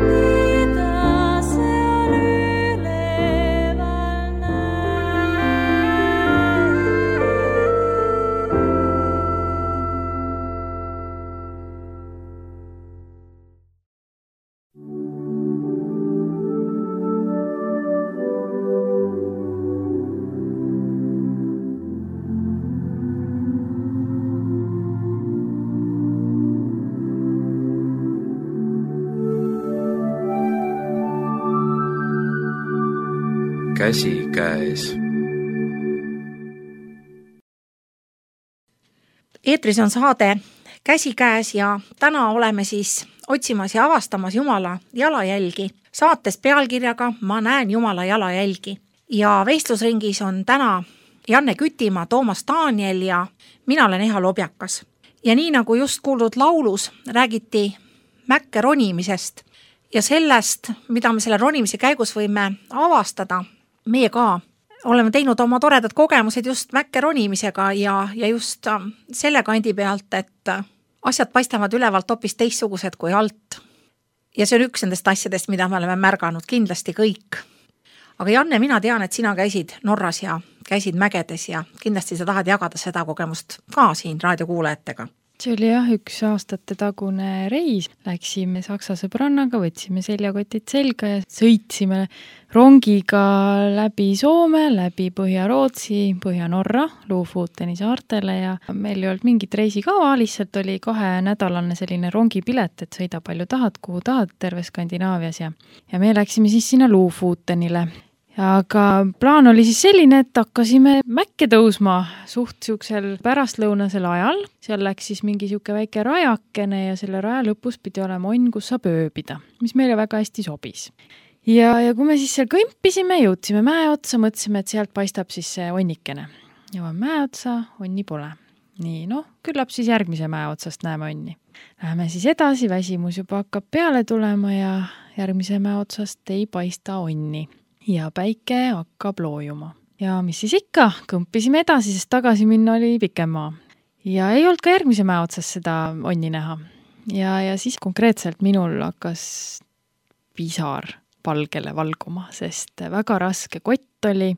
Mida seal üleval Käsikäes. Eetris on saade Käsikäes ja täna oleme siis otsimas ja avastamas Jumala jalajälgi saates pealkirjaga Ma näen Jumala jalajälgi. Ja vestlusringis on täna Janne Kütimaa, Toomas Daniel ja mina olen Eha Lobjakas. Ja nii nagu just kuuldud laulus räägiti mäkke ronimisest ja sellest, mida me selle ronimise käigus võime avastada, meie ka oleme teinud oma toredad kogemused just mäkke ronimisega ja just selle kandi pealt, et asjad paistavad ülevalt hoopis teistsugused kui alt. Ja see on üks nendest asjadest, mida me oleme märganud kindlasti kõik. Aga Janne, mina tean, et sina käisid Norras ja käisid mägedes ja kindlasti sa tahad jagada seda kogemust ka siin raadiokuulajatega. See oli jah, 1 aastate tagune reis. Läksime Saksa sõbrannaga, võtsime seljakotid selga ja sõitsime rongiga läbi Soome, läbi Põhja-Rootsi, Põhja-Norra, Lofooteni saartele ja meil ei olnud mingit reisikava, lihtsalt oli 2-nädalane selline rongipilet, et sõida palju tahad, kuhu tahad terve Skandinaavias ja me läksime siis sinna Lofootenile. Aga plaan oli siis selline, et hakkasime mäkke tõusma suht siuksel pärastlõunasel ajal. Seal läks siis mingi siuke väike rajakene ja selle raja lõpus pidi olema onn, kus saab ööbida, mis meile väga hästi sobis. Ja kui me siis seal kõmpisime, jõudsime mäe otsa, mõtlesime, et sealt paistab siis see onnikene. Jõuame mäe otsa, onni pole. Nii, küllap siis järgmise mäe otsast näeme onni. Läheme siis edasi, väsimus juba hakkab peale tulema ja järgmise mäe otsast ei paista onni. Ja päike hakkab loojuma. Ja mis siis ikka, kõmpisime edasi, sest tagasi minna oli pikem maa. Ja ei olnud ka järgmise mäe otsas seda onni näha. Ja siis konkreetselt minul hakkas pisar palgele valguma, sest väga raske kott oli.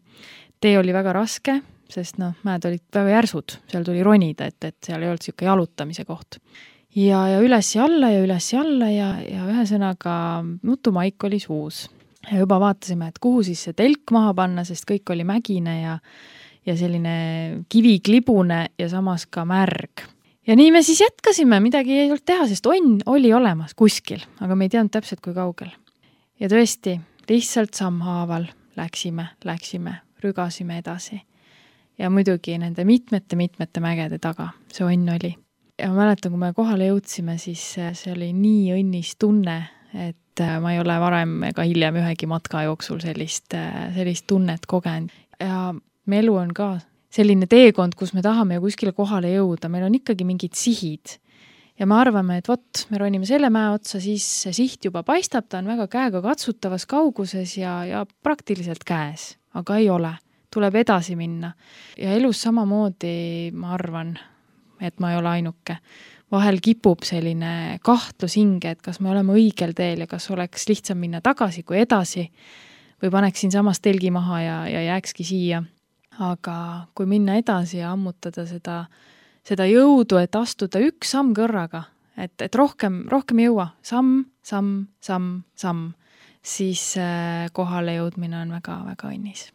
Tee oli väga raske, sest mäed olid väga järsud. Seal tuli ronida, et seal ei olnud siuke jalutamise koht. Ja üles ja alla ja üles ja alla ja ühesõnaga nutumaik oli suus. Ja juba vaatasime, et kuhu siis see telk maha panna, sest kõik oli mägine ja selline kiviklibune ja samas ka märg. Ja nii me siis jätkasime, midagi ei olnud teha, sest onn oli olemas kuskil, aga me ei teadnud täpselt kui kaugel. Ja tõesti, lihtsalt sammhaaval läksime, rügasime edasi. Ja muidugi nende mitmete mägede taga see onn oli. Ja ma mäletan, kui me kohale jõudsime, siis see oli nii õnnis tunne, et ma ei ole varem ega hiljem ühegi matka jooksul sellist tunnet kogenud. Ja me elu on ka selline teekond, kus me tahame ju kuskile kohale jõuda. Meil on ikkagi mingid sihid. ja me arvame, et vot, me ronime selle mäe otsa, siis see siht juba paistab, ta on väga käega katsutavas kauguses ja praktiliselt käes, aga ei ole. Tuleb edasi minna. Ja elus samamoodi, ma arvan, et ma ei ole ainuke. Vahel kipub selline kahtlus hinge, et kas me oleme õigel teel ja kas oleks lihtsam minna tagasi kui edasi või paneksin samas telgi maha ja jääkski siia. Aga kui minna edasi ja ammutada seda jõudu, et astuda üks samm kõrraga, et rohkem ei jõua, samm, siis kohale jõudmine on väga-väga õnnis.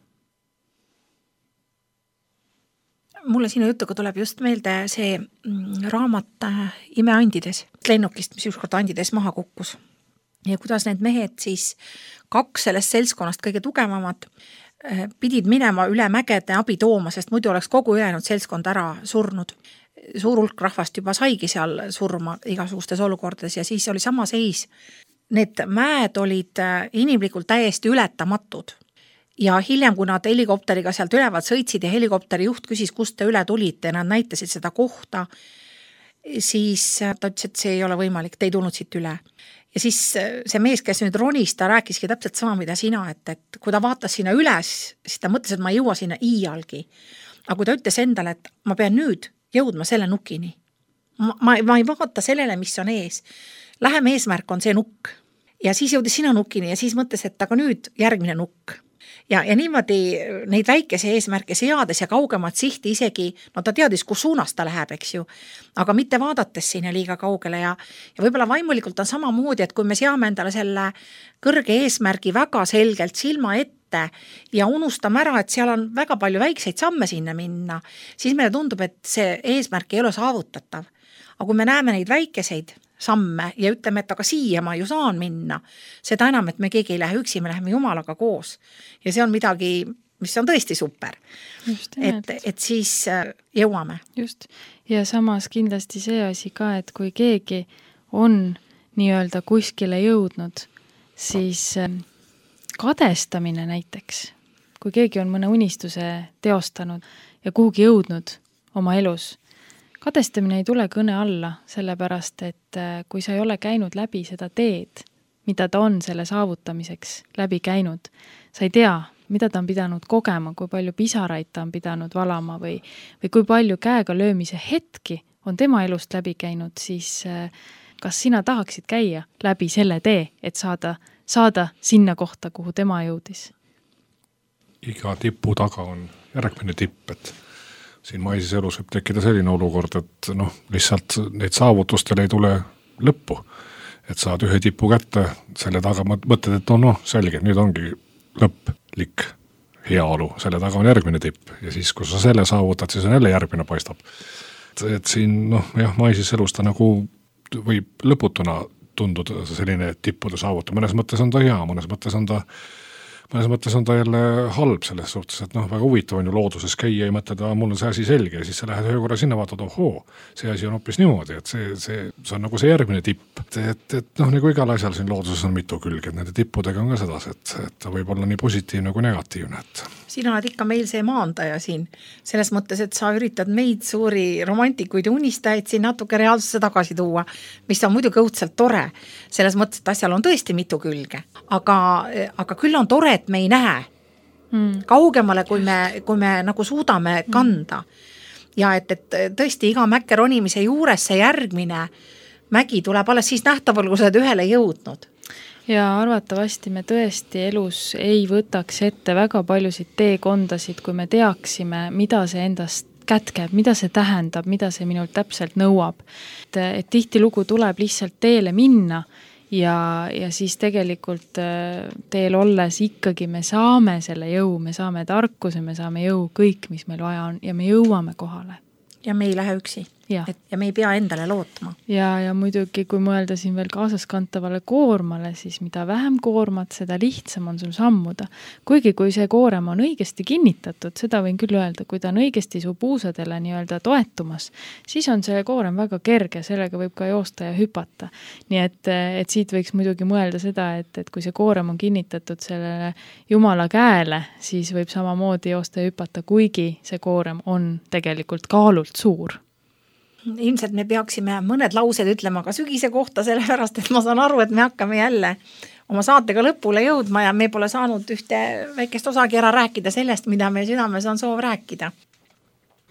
Mulle sinu jutuga tuleb just meelde see raamat Imeandides, lennukist, mis ükskord Andides maha kukkus. Ja kuidas need mehed siis, 2 sellest seltskonnast kõige tugevamad, pidid minema üle mägede abi tooma, sest muidu oleks kogu ülejäänud seltskond ära surnud. Suur hulk rahvast juba saigi seal surma igasugustes olukordades ja siis oli sama seis. Need mäed olid inimlikult täiesti ületamatud. Ja hiljem, kui nad helikopteriga sealt ülevalt sõitsid ja helikopteri juht küsis, kust te üle tulite ja nad näitasid seda kohta, siis ta ütles, et see ei ole võimalik, te ei tulnud siit üle. Ja siis see mees, kes nüüd ronis, ta rääkiski täpselt sama, mida sina, et kui ta vaatas sinna üles, siis ta mõtles, et ma ei jõua sinna iialgi. Aga kui ta ütles endale, et ma pean nüüd jõudma selle nukini. Ma ei vaata sellele, mis on ees. Lähem eesmärk on see nukk. Ja siis jõudis sina nukini ja siis mõtles, et aga nüüd järgmine nukk. Ja niimoodi neid väikese eesmärke seades ja kaugemat sihti isegi, no ta teadis, kus suunas ta läheb, eks ju, aga mitte vaadates sinna liiga kaugele ja võib-olla vaimulikult on samamoodi, et kui me seame endale selle kõrge eesmärgi väga selgelt silma ette ja unustame ära, et seal on väga palju väikseid samme sinna minna, siis meile tundub, et see eesmärk ei ole saavutatav. Aga kui me näeme neid väikeseid samme ja ütleme, et aga siia ma ju saan minna, seda enam, et me keegi ei lähe üksi, me läheme Jumalaga koos. Ja see on midagi, mis on tõesti super. Et siis jõuame. Just. Ja samas kindlasti see asi ka, et kui keegi on nii-öelda kuskile jõudnud, siis kadestamine näiteks, kui keegi on mõne unistuse teostanud ja kuhugi jõudnud oma elus, kadestamine ei tule kõne alla, sellepärast, et kui sa ei ole käinud läbi seda teed, mida ta on selle saavutamiseks läbi käinud, sa ei tea, mida ta on pidanud kogema, kui palju pisaraid ta on pidanud valama või kui palju käega löömise hetki on tema elust läbi käinud, siis kas sina tahaksid käia läbi selle tee, et saada sinna kohta, kuhu tema jõudis? Iga tipu taga on järgmine tipp, et siin maises elus võib tekkida selline olukord, et lihtsalt neid saavutustele ei tule lõppu. Et saad ühe tipu kätte, selle taga mõtled, et selge, nüüd ongi lõplik heaolu, selle taga on järgmine tipp ja siis, kui sa selle saavutad, siis on jälle järgmine paistab. Et siin, maises elus ta nagu võib lõputuna tunduda selline tippude saavuta. Mõnes mõttes on ta hea, mõnes mõttes on ta jälle halb selles suhtes, et väga huvitav on ju looduses käia ja mõtleda, mul on see asi selge ja siis sa lähed ühe korra sinna vaatad, see asi on hoopis niimoodi, et see on nagu see järgmine tipp. Et nagu igal asjal siin looduses on mitu külge, et nende tippudega on ka sedasi, et ta võib olla nii positiivne kui negatiivne. Sina oled ikka meil see maandaja siin, selles mõttes, et sa üritad meid suuri romantikuid ja unistajaid siin natuke reaalsusse tagasi tuua, mis on muidugi õudselt tore, selles mõttes, et asjal on tõesti mitu külge, aga küll on tore, et me ei näe kaugemale, kui me nagu suudame kanda. Ja et tõesti iga mäkke ronimise juures see järgmine mägi tuleb alles siis nähtaval, kui sa oled ühele jõudnud. Ja arvatavasti me tõesti elus ei võtaks ette väga paljusid teekondasid, kui me teaksime, mida see endast kätkeb, mida see tähendab, mida see minult täpselt nõuab. Et tihtilugu tuleb lihtsalt teele minna ja siis tegelikult teel olles ikkagi me saame selle jõu, me saame tarkuse, me saame jõu kõik, mis meil vaja on ja me jõuame kohale. Ja me ei lähe üksi. Ja me ei pea endale lootma. Ja muidugi, kui mõelda siin veel kaasaskantavale koormale, siis mida vähem koormat, seda lihtsam on sul sammuda. Kuigi kui see koorem on õigesti kinnitatud, seda võin küll öelda, kui ta on õigesti su puusadele nii-öelda toetumas, siis on see koorem väga kerge, sellega võib ka joosta ja hüpata. Nii et siit võiks muidugi mõelda seda, et kui see koorem on kinnitatud sellele Jumala käele, siis võib samamoodi joosta ja hüpata, kuigi see koorem on tegelikult kaalult suur. ilmselt me peaksime mõned laused ütlema ka sügise kohta, sellepärast et ma saan aru, et me hakkame jälle oma saatega lõpule jõudma ja me pole saanud ühte väikest osagi ära rääkida sellest, mida meil südames on soov rääkida.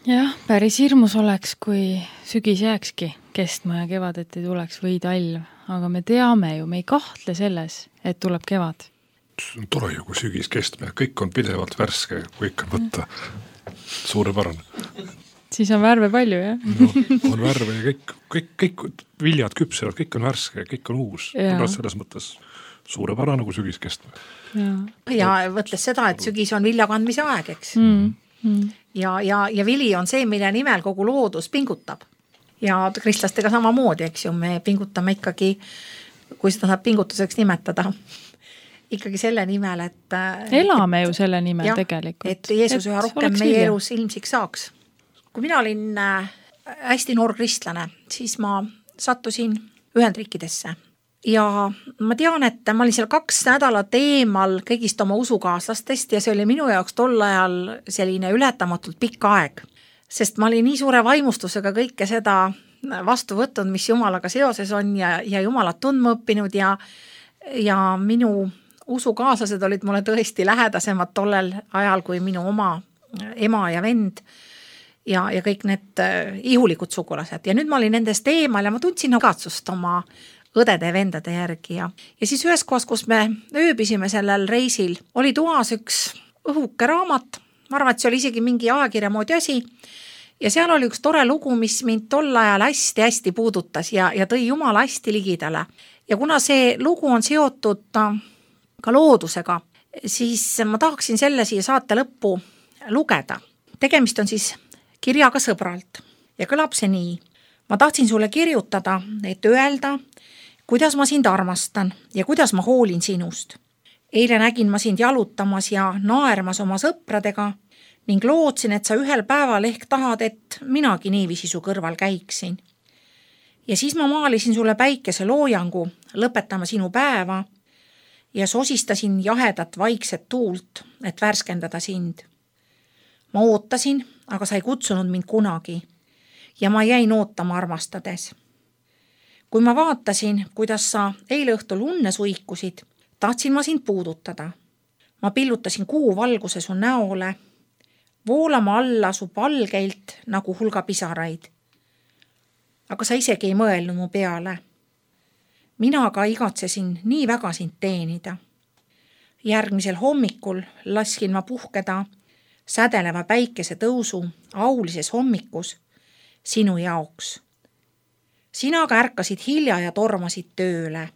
Jah, päris hirmus oleks, kui sügis jääkski kestma ja kevadet ei tuleks või talv, aga me teame ju, me ei kahtle selles, et tuleb kevad. See on tore ju, kui sügis kestma ja kõik on pidevalt värske, kui ikka võtta. Suurepärane. Siis on värve palju, jah? No, on värve ja kõik viljad küpsevad, kõik on värske, kõik on uus. Selles mõttes suurepärane, kui sügis kestma. Ja võtles seda, et sügis on vilja kandmise aeg, eks? Ja vili on see, mille nimel kogu loodus pingutab. Ja kristlastega samamoodi, eks ju, me pingutame ikkagi, kui seda saab pingutuseks nimetada, ikkagi selle nimel, et elame ju selle nimel tegelikult. Et Jeesus üha rohkem meie elus ilmsiks saaks. Kui mina olin hästi noor kristlane, siis ma sattusin Ühendriikidesse ja ma tean, et ma olin seal 2 nädalat eemal kõigist oma usukaaslastest ja see oli minu jaoks tol ajal selline ületamatult pikk aeg, sest ma olin nii suure vaimustusega kõike seda vastu võtnud, mis Jumalaga seoses on ja Jumalat tundma õppinud ja minu usukaaslased olid mulle tõesti lähedasemad tollel ajal kui minu oma ema ja vend ja kõik need ihulikud sugulased. Ja nüüd ma olin nendest eemal ja ma tundsin katsust oma õdede ja vendade järgi. Ja siis ühes kohas, kus me ööbisime sellel reisil, oli toas üks õhuke raamat. Ma arvan, et see oli isegi mingi ajakirja moodi asi. Ja seal oli üks tore lugu, mis mind tol ajal hästi puudutas ja tõi Jumala hästi ligidale. Ja kuna see lugu on seotud ka loodusega, siis ma tahaksin selle siia saate lõppu lugeda. Tegemist on siis kirjaga sõbralt ja kõlab see nii. Ma tahtsin sulle kirjutada, et öelda, kuidas ma sind armastan ja kuidas ma hoolin sinust. Eile nägin ma sind jalutamas ja naermas oma sõpradega ning lootsin, et sa ühel päeval ehk tahad, et minagi niiviisi su kõrval käiksin. Ja siis ma maalisin sulle päikese loojangu, lõpetama sinu päeva ja sosistasin jahedat vaikset tuult, et värskendada sind. Ma ootasin, aga sa ei kutsunud mind kunagi ja ma jäin ootama armastades. Kui ma vaatasin, kuidas sa eile õhtul unne suikusid, tahtsin ma sind puudutada. Ma pillutasin kuu valguse su näole, voolama alla su palgeilt nagu hulga pisaraid. Aga sa isegi ei mõelnud mu peale. Mina aga igatsesin nii väga sind teenida. Järgmisel hommikul laskin ma puhkeda sädeleva päikese tõusu aulises hommikus sinu jaoks. Sina aga ärkasid hilja ja tormasid tööle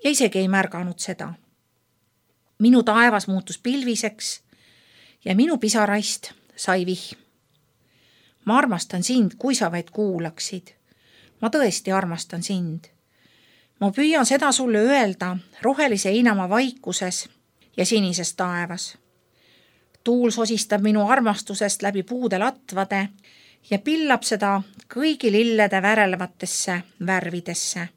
ja isegi ei märganud seda. Minu taevas muutus pilviseks ja minu pisaraist sai vihm. Ma armastan sind, kui sa vaid kuulaksid. Ma tõesti armastan sind. Ma püüan seda sulle öelda rohelise heinamaa vaikuses ja sinises taevas. Tuul sosistab minu armastusest läbi puude latvade ja pillab seda kõigi lillede värelevatesse värvidesse.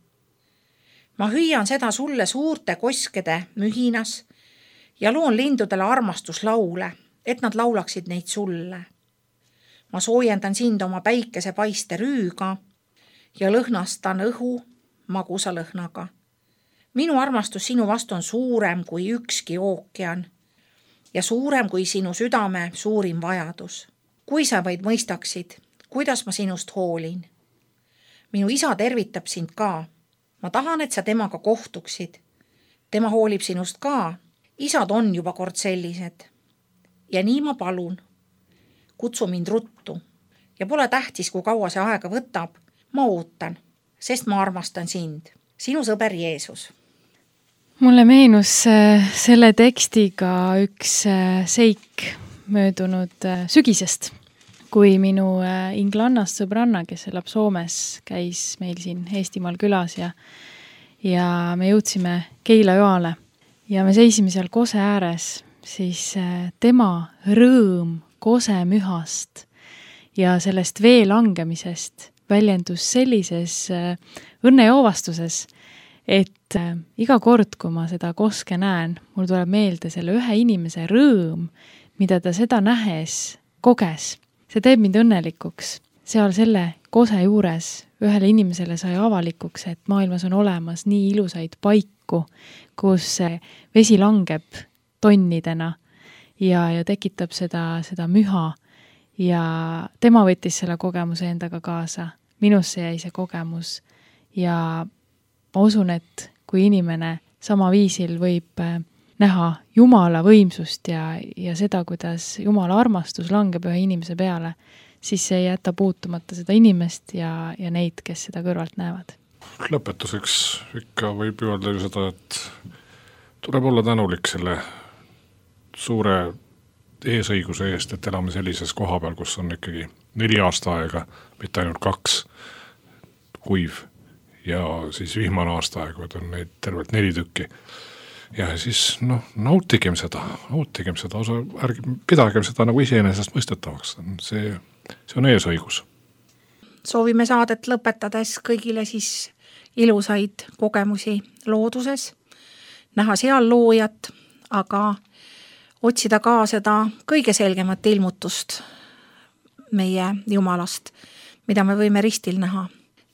Ma hüüan seda sulle suurte koskede mühinas ja loon lindudele armastuslaule, et nad laulaksid neid sulle. Ma soojendan sind oma päikese paiste rüüga ja lõhnastan õhu magusa lõhnaga. Minu armastus sinu vastu on suurem kui ükski ookean ja suurem kui sinu südame suurim vajadus. Kui sa vaid mõistaksid, kuidas ma sinust hoolin. Minu isa tervitab sind ka. Ma tahan, et sa temaga kohtuksid. Tema hoolib sinust ka. Isad on juba kord sellised. Ja nii ma palun. Kutsu mind ruttu. Ja pole tähtis, kui kaua see aega võtab. Ma ootan, sest ma armastan sind. Sinu sõber Jeesus. Mulle meenus selle tekstiga üks seik möödunud sügisest, kui minu inglannast sõbranna, kes elab Soomes, käis meil siin Eestimaal külas ja me jõudsime Keila-Joale ja me seisime seal kose ääres, siis tema rõõm kosemühast ja sellest vee langemisest väljendus sellises õnnejoovastuses, et iga kord, kui ma seda koske näen, mul tuleb meelde selle ühe inimese rõõm, mida ta seda nähes koges. See teeb mind õnnelikuks, seal selle kose juures ühele inimesele sai avalikuks, et maailmas on olemas nii ilusaid paiku, kus vesi langeb tonnidena ja tekitab seda müha ja tema võttis selle kogemuse endaga kaasa. Minusse jäi see kogemus ja ma usun, et kui inimene sama viisil võib näha Jumala võimsust ja seda, kuidas Jumala armastus langeb ühe inimese peale, siis see ei jäta puutumata seda inimest ja neid, kes seda kõrvalt näevad. Lõpetuseks ikka võib öelda ju seda, et tuleb olla tänulik selle suure eesõiguse eest, et elame sellises koha peal, kus on ikkagi 4 aasta aega, mitte ainult 2 kuiv ja siis vihmane aasta aega, et on neid tervelt 4 tükki. Ja siis nautigem seda osa, pidagem seda nagu iseenesest mõistetavaks. See on eesõigus. Soovime saadet lõpetades kõigile siis ilusaid kogemusi looduses, näha seal loojat, aga otsida ka seda kõige selgemat ilmutust meie Jumalast, mida me võime ristil näha.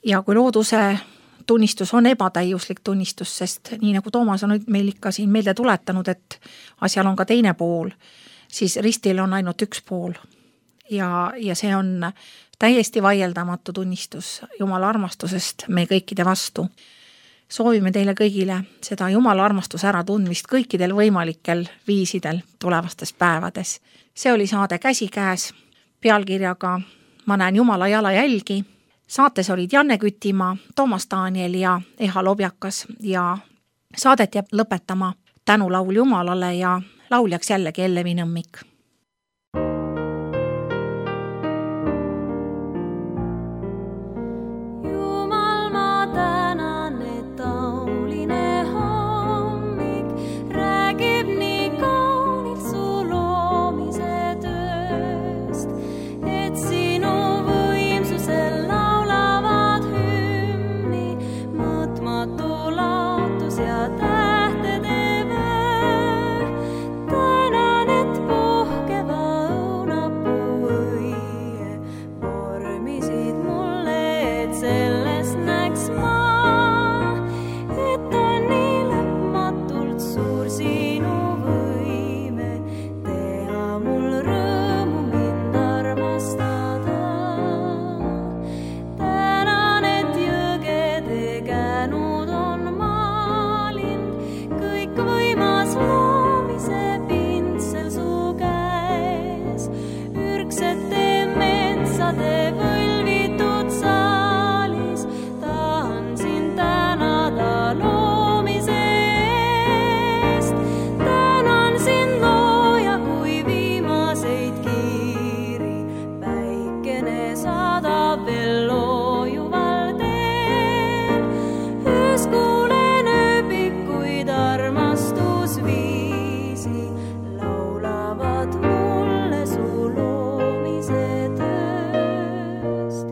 Ja kui looduse tunnistus on ebatäiuslik tunnistus, sest nii nagu Toomas on meil ikka siin meelde tuletanud, et asjal on ka teine pool, siis ristil on ainult üks pool. Ja see on täiesti vaieldamatu tunnistus Jumala armastusest meie kõikide vastu. Soovime teile kõigile seda Jumala armastuse äratundmist kõikidel võimalikel viisidel tulevastes päevades. See oli saade Käsikäes pealkirjaga Ma näen Jumala jalajälgi. Saates olid Janne Kütimaa, Toomas Daniel ja Eha Lobjakas ja saadet jääb lõpetama tänulaul Jumalale ja lauljaks jällegi Ellevi Nõmmik. Jumal, ma tänan, et tauline hommik räägib nii kaunilt su loomise tööst, et sinu võimsusel laulavad hümni mõõtmatu laatus ja tähtede vöör. Tänan, et puhkeva õunapuu õie vormisid mulle, et sellest näeks ma, et on nii lõpmatult suur sinu võime teha mul rõõmu mind armastada. Tänan, et jõgede känud on maalind, kõik võimas loomise pintsel su käes, ürgsete metsade võlvitud saalis. Tahan sind tänada loomise eest, tänan sind looja, kui viimaseid kiiri päikene saadab veel loojuval teel. Öös kuulen ööbikuid armastusviisi, laulavad mulle su loomise tööst.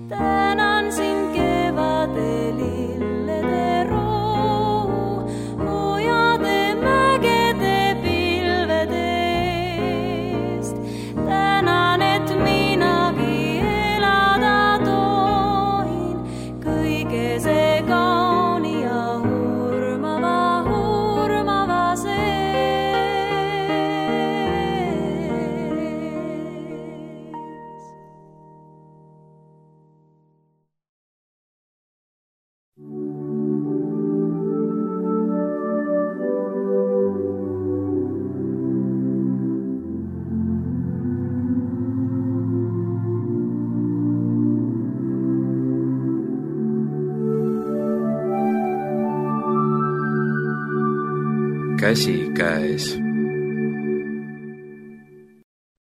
Tänan sind kevade lillede roo, hoiade mägede pilvede eest. Tänan, et minagi elada tohin kõige see kauni ja hurmava sees. Käsikäes.